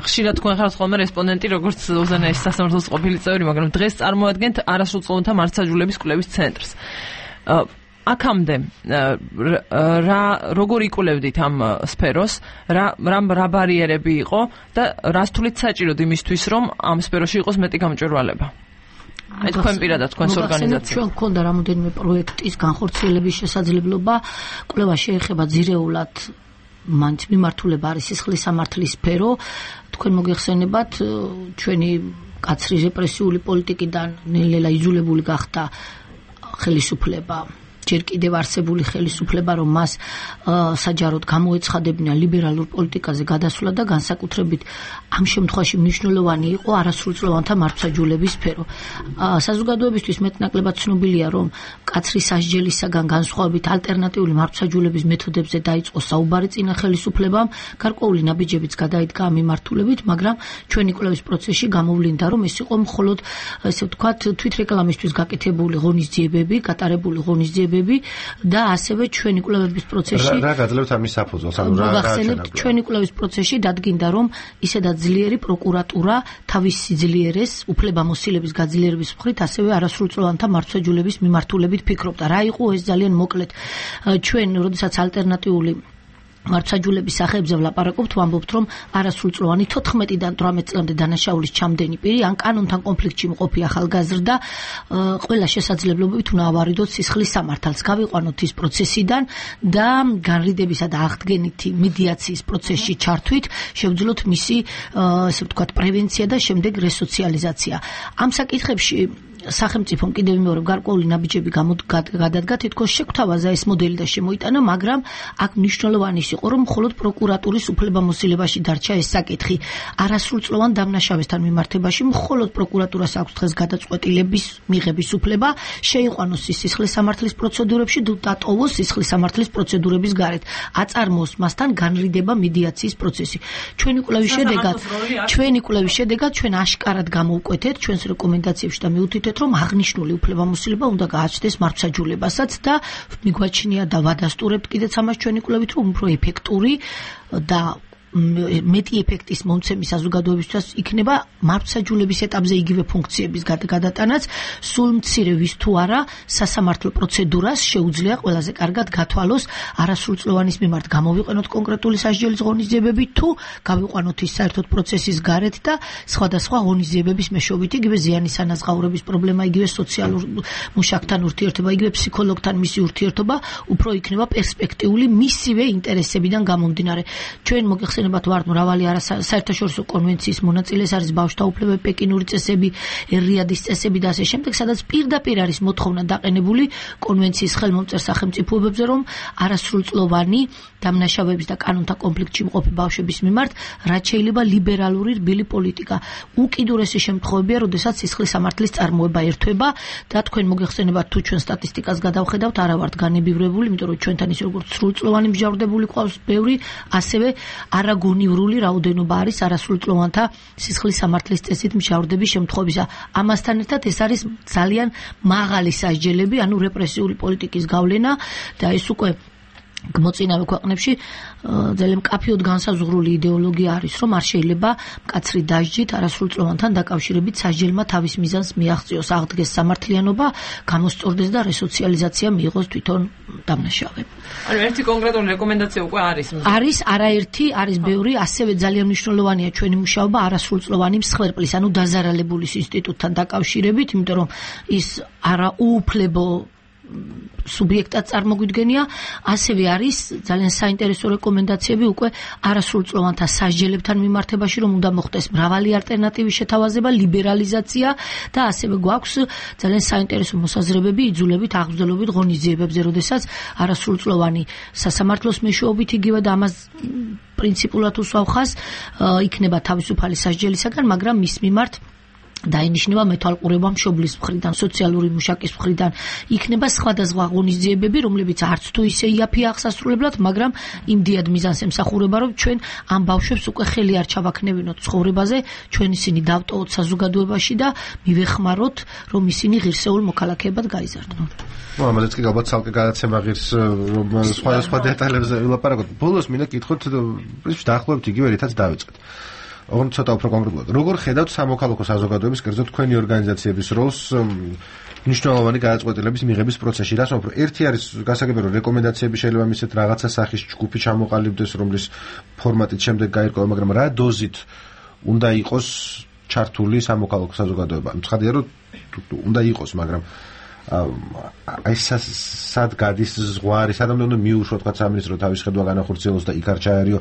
ხშირად თქვენ ხართ ხოლმე რესპონდენტი, როგორც უზენაეს სასამართლოს ყოფილი წევრი, მაგრამ დღეს წარმოადგენთ არასრულწლოვანთა მართლმსაჯულების კვლევის ცენტრს. აქამდე როგორ იკვლევდით ამ სფეროს, რა ბარიერები იყო და რას თulit საჭიროდ იმისთვის, რომ ამ სფეროში იყოს მეტი გამჭვირვალება? აი თქვენ პირადად თქვენს ორგანიზაციას. ჩვენ გქონდა რამოდენიმე პროექტის განხორციელების შესაძლებლობა, კვლევა შეეხება ძირეულად მანც მიმართულება არის სისხლის სამართლის სფერო. თქვენ მოგეხსენებათ, ჩვენი კაცრი რეპრესიული პოლიტიკიდან ნელ-ნელა იზოლებული გახდა ხელისუფლება. ჯერ კიდევ არსებული ხელისუფლება, რომ მას საჯაროდ გამოეცხადებინა ლიბერალურ პოლიტიკაზე გადასვლა და განსაკუთრებით ამ შემთხვევაში მნიშვნელოვანი იყო არასრულწლოვანთა მართლმსაჯულების სფერო. საზოგადოებისთვის მეტნაკლებად ცნობილია, რომ კაცრი სასჯელისაგან განსხვავებით ალტერნატიული მართლმსაჯულების მეთოდებზე დაიწყო საუბარი წინა ხელისუფლებამ, გარკვეული ნაბიჯებიც გადაიდგა ამ მიმართულებით, მაგრამ ჩვენი კვლევის პროცესში გამოვლინდა, რომ ეს იყო მხოლოდ ესე ვთქვათ თვითრეკლამისთვის გაკეთებული ღონისძიებები, გატარებული ღონისძიებები და ასევე ჩვენი კვლევების პროცესში რა გაძლევთ ამის საფუძველს, ანუ რა ჩვენი კვლევის პროცესში დადგინდა, რომ ისედაც ძლიერი პროკურატურა თავის სიძლიერეს უფლებამოსილების გაძლიერების მხრივ ასევე არასრულწლოვანთა მართლმსაჯულების მიმართულებით ფიქრობდა. რა იყო ეს ძალიან მოკლედ? ჩვენ როდესაც ალტერნატიული მართლმსაჯულების სახეებზე ვლაპარაკობთ, ვამბობთ, რომ არასრულწლოვანი 14-დან 18 წლამდე დანაშაულის ჩამდენი პირი ან კანონთან კონფლიქტში მყოფი ახალგაზრდა ყველა შესაძლებლობებით უნდა ავარიდოთ სისხლის სამართალს, გავიყვანოთ ის პროცესიდან და განრიდებისა და აღდგენითი მედიაციის პროცესში ჩართვით შევძლოთ მისი, ესე ვთქვათ, პრევენცია და შემდეგ რესოციალიზაცია. ამ საკითხებში სახელმწიფომ კიდევ მეორე გარკვეული ნაბიჯები გადადგა თითქოს შეგვთავაზა ეს მოდელი და შემოიტანა, მაგრამ აქ მნიშვნელოვანი იყო, რომ მხოლოდ პროკურატურის უფლებამოსილებაში დარჩა ეს საკითხი. არასრულწლოვან დამნაშავესთან მიმართებაში მხოლოდ პროკურატურას აქვს დღეს გადაწყვეტილების მიღების უფლება, შეიყვანოს სისხლის სამართლის პროცედურებში და დატოვოს სისხლის სამართლის პროცედურების გარეთ. აწარმოოს მასთან განრიდება მედიაციის პროცესი. ჩვენი კვლევის შედეგად ჩვენ აშკარად გამოვკვეთეთ ჩვენს რეკომენდაციებში და მიუთითეთ, რომ აღნიშნული უფლებამოსილება უნდა გააჩნდეს მართლმსაჯულებასაც და მიგვაჩნია და ვადასტურებთ კიდეც ამას ჩვენი კვლევით, რომ უფრო ეფექტური და მეტი ეფექტის მომცემი საზოგადოებისთვის იქნება მართლმსაჯულების ეტაპზე იგივე ფუნქციების გადატანაც, სულ მცირე ვის თუ არა სასამართლო პროცედურას შეუძლია ყველაზე კარგად გათვალოს არასრულწლოვანის მიმართ გამოვიყენოთ კონკრეტული სასჯელის ღონისძიებები თუ გავიყვანოთ ის საერთოდ პროცესის გარეთ და სხვადასხვა ღონისძიებების მეშვეობით, იგივე ზიანის ანაზღაურების პრობლემა, იგივე სოციალურ მუშაკთან ურთიერთობა, იგივე ფსიქოლოგთან მისი ურთიერთობა უფრო იქნება პერსპექტიული მისივე ინტერესებიდან გამომდინარე. ჩვენ მოგეხსენებათ ვართ მრავალი საერთაშორისო კონვენციის მონაწილე, ეს არის ბავშვთა უფლებები, პეკინური წესები, რიადის წესები და ასე შემდეგ, სადაც პირდაპირ არის მოთხოვნა დაყენებული კონვენციის ხელმომწერ სახელმწიფოებებზე, რომ არასრულწლოვანი დამნაშავეების და კანონთა კონფლიქტში მყოფი ბავშვების მიმართ რაც შეიძლება ლიბერალური რბილი პოლიტიკა. უკიდურესი შემთხვევებია, როდესაც სისხლის სამართლის წარმოება ერთვება და თქვენ მოგეხსენებათ თუ ჩვენ სტატისტიკას გადავხედავთ, არა ვართ განებივრებული, იმიტომ რომ ჩვენთან ის როგორც სრულწლოვანი მსჯავრდებული ყავს ბევრი, ასევე არაგონივრული რაოდენობა არის არასრულწლოვანთა სისხლის სამართლის წესით მსჯავრდების შემთხვევისა. ამასთან ერთად ეს არის ძალიან მაღალი სასჯელები, ანუ რეპრესიული პოლიტიკის გავლენა და ეს უკვე მოწინავე ქვეყნებში ძალიან მკაფიოდ განსაზღვრული იდეოლოგია არის, რომ არ შეიძლება მკაცრი დასჯით არასრულწლოვანთან დაკავშირებით სასჯელმა თავის მიზანს მიაღწიოს, აღდგეს სამართლიანობა, გამოსწორდეს და რესოციალიზაცია მიიღოს თვითონ დამნაშავემ. ანუ ერთი კონკრეტული რეკომენდაცია უკვე არის. არის არაერთი, არის ბევრი, ასევე ძალიან მნიშვნელოვანია ჩვენი მუშაობა არასრულწლოვანი მსხვერპლის, ანუ დაზარალებულის ინსტიტუტთან დაკავშირებით, იმიტომ რომ ის არაუუფლებო სუბიექტად წარმოგვიდგენია, ასევე არის ძალიან საინტერესო რეკომენდაციები უკვე არასრულწლოვანთა სასჯელებთან მიმართებაში, რომ უნდა მოხდეს მრავალი ალტერნატივის შეთავაზება, ლიბერალიზაცია და ასევე გვაქვს ძალიან საინტერესო მოსაზრებები იძულებით აღბრძოლებით ღონისძიებებზე, როდესაც არასრულწლოვანი სასამართლოს მეშვეობით იგივე და ამას პრინციპულად უსვავხას იქნება თავისუფალი სასჯელისაგან, მაგრამ მის მიმართ დაინიშნება მეთვალყურება მშობლის მხრიდან, სოციალური მუშაკის მხრიდან, იქნება სხვადასხვა ღონისძიებები, რომლებიც არც თუ ისე იაფია აღსასრულებლად, მაგრამ იმდიად მიზანს ემსახურება, რომ ჩვენ ამ ბავშვებს უკვე ხელი არ ჩავაქნევინოთ ცხოვრებაზე, ჩვენ ისინი დავტოვოთ საზოგადოებაში და მივეხმაროთ, რომ ისინი ღირსეულ მოქალაქეებად გაიზარდნონ. ამაზეც კი ალბათ ცალკე გადაცემა ღირს, რომ სხვადასხვა დეტალებზე ვილაპარაკოთ. ბოლოს მინდა კითხოთ, დაახლოებით იგივე რითაც დავიწყეთ. ოღონდ ცოტა უფრო კონკრეტულად. როგორ ხედავთ სამოქალაქო საზოგადოების, კერძოდ თქვენი ორგანიზაციების როლს მნიშვნელოვანი გადაწყვეტილების მიღების პროცესში? რას ვამბობ, ერთი არის გასაგები, რომ რეკომენდაციები შეიძლება მისცეთ რაღაცა სახის ჯგუფი ჩამოყალიბდეს, რომლის ფორმატით შემდეგ გაირკვევა, მაგრამ რა დოზით უნდა იყოს ჩართული სამოქალაქო საზოგადოება? ცხადია, რომ უნდა იყოს, მაგრამ აი სად გადის ზღვარი, სადამდე უნდა მიუშვოთ თქვა სამინისტრო თავის ხედვა განახორციელოს და იქ არ ჩაერიო.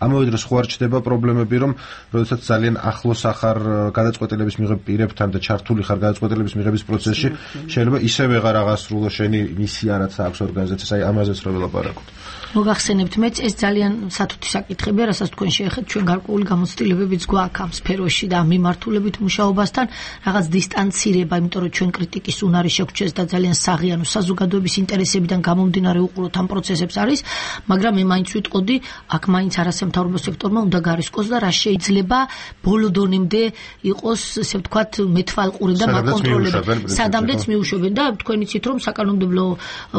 ამავე დროს ხო არ ჩდება პრობლემები, რომ როდესაც ძალიან ახლოს ახარ გადაწყვეტილების მიღებ პირებთან და ჩართული ხარ გადაწყვეტილების მიღების პროცესში, შეიძლება ისევ ვეღარ აღასრულო შენი მისია, რაც აქვს ორგანიზაციას, აი ამაზეც რა ველაპარაკოთ. მოგახსენებთ მეც ეს ძალიან სათუთი საკითხებია, რასაც თქვენ შეეხეთ, ჩვენ გარკვეული გამოცდილებებიც გვაქვს ამ სფეროში და მიმართულებით მუშაობასთან, რაღაც დისტანცირება, იმიტომ რომ ჩვენ კრიტიკის უნარი შეგვჩეს და ძალიან საღიანო საზოგადოების ინტერესებიდან გამომდინარე უყუროთ ამ პროცესებს არის, მაგრამ მე მაინც ვიტყოდი, აქ მაინც არასამთავრობო სექტორმა უნდა გარისკოს და რა შეიძლება ბოლო დონემდე იყოს, ესე ვთქვათ, მეთვალყური და მაკონტროლებელი, სადამდეც მიუშვებენ და თქვენ იცით, რომ საკანონმდებლო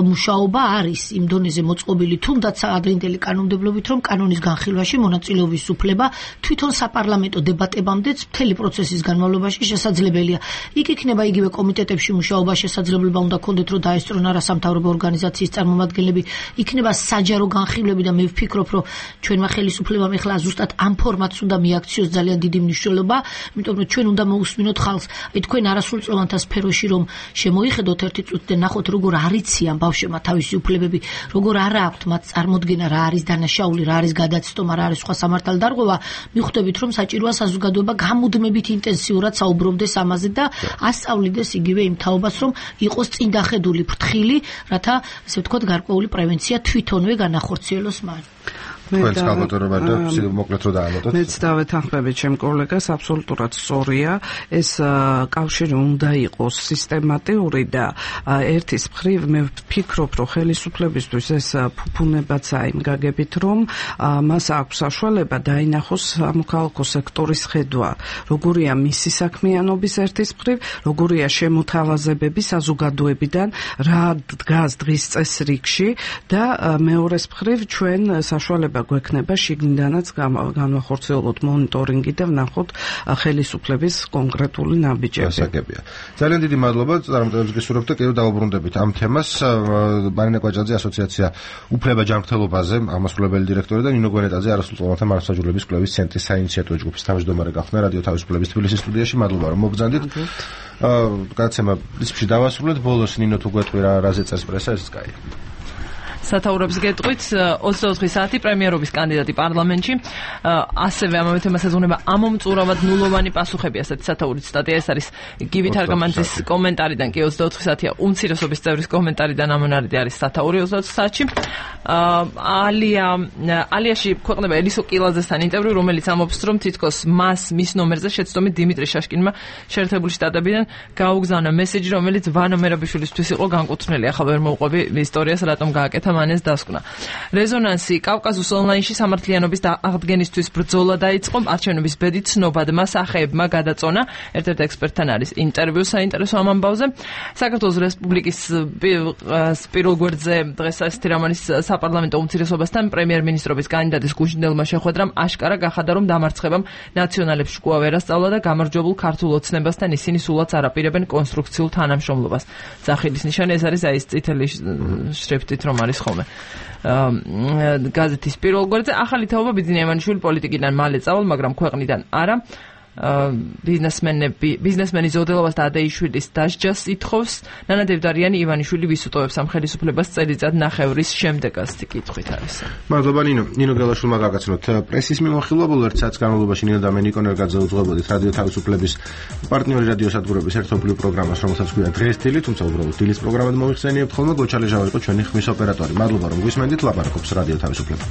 მუშაობა არის იმ დონეზე მოწყობილი, თუნდაც ადრინდელი კანონმდებლობით, რომ კანონის განხილვაში მონაწილეობის უფლება თვითონ საპარლამენტო დებატებამდეც მთელი პროცესის განმავლობაში შესაძლებელია. იქ იქნება იგივე კომიტეტებში მუშაობა შესაძლებელი შესაძლებლობა უნდა ქონდეთ, რომ დაესწრონ არასამთავრობო ორგანიზაციის წარმომადგენლები, იქნება საჯარო განხილვები და მე ვფიქრობ, რომ ჩვენმა ხელისუფლებამ ეხლა ზუსტად ამ ფორმატს უნდა მიაქციოს ძალიან დიდი მნიშვნელობა, იმიტომ რომ ჩვენ უნდა მოусმინოთ ხალხს, აი თქვენ არასრულწლოვანთა სფეროში რომ შემოიხედოთ ერთი წუთი და ნახოთ როგორ არიციან ბავშვებმა თავისი უფლებები, როგორ არა აქვთ მათ წარმოდგენა რა არის დანაშაული, რა არის გადაცტომა, რა არის სხვა სამართალდარღვევა, მიხვდებით რომ საჭიროა საზოგადოება გამუდმებით ინტენსიურად საუბრობდეს ამაზე და ასწავლიდეს იგივე იმ თაობას, რომ იყოს წინდახედული ფრთხილი, რათა ესე ვთქვათ გარკვეული პრევენცია თვითონვე განახორციელოს მან. მეც გამოდორობა და მოკლედ რო დაალოდოთ. მეც დავეთანხმები ჩემ კოლეგას, აბსოლუტურად სწორია. ეს კავშირი უნდა იყოს სისტემატიური და ერთის მხრივ მე ვფიქრობ, რომ ხელისუფლებისთვის ეს ფუფუნებაცაა იმ გაგებით, რომ მას აქვს საშუალება დაინახოს სამოქალაქო სექტორის ხედვა, როგორია მისი საქმიანობის ერთის მხრივ, როგორია შემოთავაზებები საზოგადოებიდან, რა დგას დღის წესრიგში და მეორეს მხრივ ჩვენ საშუალება გვექნება შიგნიდანაც განვახორციელოთ მონიტორინგი და ვნახოთ ხელისუფლების კონკრეტული ნაბიჯები. გასაგებია. ძალიან დიდი მადლობა წარმატებებს გისურვებთ და კიდევ დავუბრუნდებით ამ თემას. მარინა კვაჭაძე ასოციაცია უფლება ჯანმრთელობაზე აღმასრულებელი დირექტორი და ნინო გვენეტაძე არასრულწლოვანთა მართლმსაჯულების კვლევის ცენტრის საინიციატივო ჯგუფის თავმჯდომარე გახდნენ რადიო თავისუფლების თბილისის სტუდიაში. მადლობა რომ მოგბრძანდით. გადაცემა პრინციპში დავასრულეთ. ბოლოს ნინო თუ გვეტყვი რაზე წერს პრესა, ეს კაია. სათაურებს გეტყვით 24 საათი პრემიერობის კანდიდატი პარლამენტში. ასევე ამავე თემას ეზღუნება ამომწურავად ნულოვანი პასუხები, ასეთი სათაურით სტატია. ეს არის გივით არგამანძის კომენტარიდან, კი 24 საათია უმცირესობის წევრის კომენტარიდან ამონარიდი არის სათაური 24 საათში. ალიაში ქვეყნება ელისო კილაძესთან ინტერვიუ, რომელიც ამბობს, რომ თითქოს მის ნომერზე შეცდომით დიმიტრი შაშკინმა შეერთებული შტატებიდან გაუგზავნა მესეჯი, რომელიც ვანო მერაბიშვილისთვის იყო განკუთვნილი. ახლა ვერ მოვყვები ისტორიას, რატომ გააკეთა მანეს დასკვნა. რეზონანსი კავკაზუს ონლაინში სამართლიანობის აღდგენისთვის ბრძოლა დაიწყო. არჩევნების ბედი ცნობადმა სახეებმა გადაწონა. ერთ-ერთ ექსპერტთან არის ინტერვიუ საინტერესო ამ ამბავზე. საქართველოს რესპუბლიკის პირველ გვერდზე დღეს ასეთი რამ არის საპარლამენტო უმცირესობასთან პრემიერ-მინისტრობის კანდიდატის გუშინდელმა შეხვედრამ აშკარა გახადა, რომ დამარცხებამ ნაციონალებს შკუა ვერ ასწავლა და გამარჯვებულ ქართულ ოცნებასთან ისინი სულაც არაპირებენ კონსტრუქციულ თანამშრომლობას. სახილის ნიშანი ეს არის აი ეს წითელი შრიფტით რომ არის ხოლმე გაზეთის პირველ გვერდზე. ახალი თაობა ბიძინა ივანიშვილი პოლიტიკიდან მალე წავალ, მაგრამ ქვეყნიდან არა. ბიზნესმენი ზოდელობას და ადეიშვილის დასჯას ითხოვს. ნანა დევდარიანი ივანიშვილი ვისუტოვებს ამ ხელისუფლებას წელიწად ნახევრის შემდეგ ასეთი კითხვით არის. მადლობა ნინო გელაშვილმა გაგაცნოთ პრესის მიმოხილვა. ბოლო ერთ საათის განმავლობაში ნინო და მე ნიკო ნერგაძე უძღვებოდით რადიო თავისუფლების პარტნიორი რადიო სადგურების ერთობლივ პროგრამას, რომელსაც ქვია დღეს დილით, თუმცა უბრალოდ დილის პროგრამად მოიხსენიებთ ხოლმე. გოჩალეჟავა იყო ჩვენი ხმის ოპერატორი. მადლობა რომ გვისმენდით. ლაპარაკობს რადიო თავისუფლება.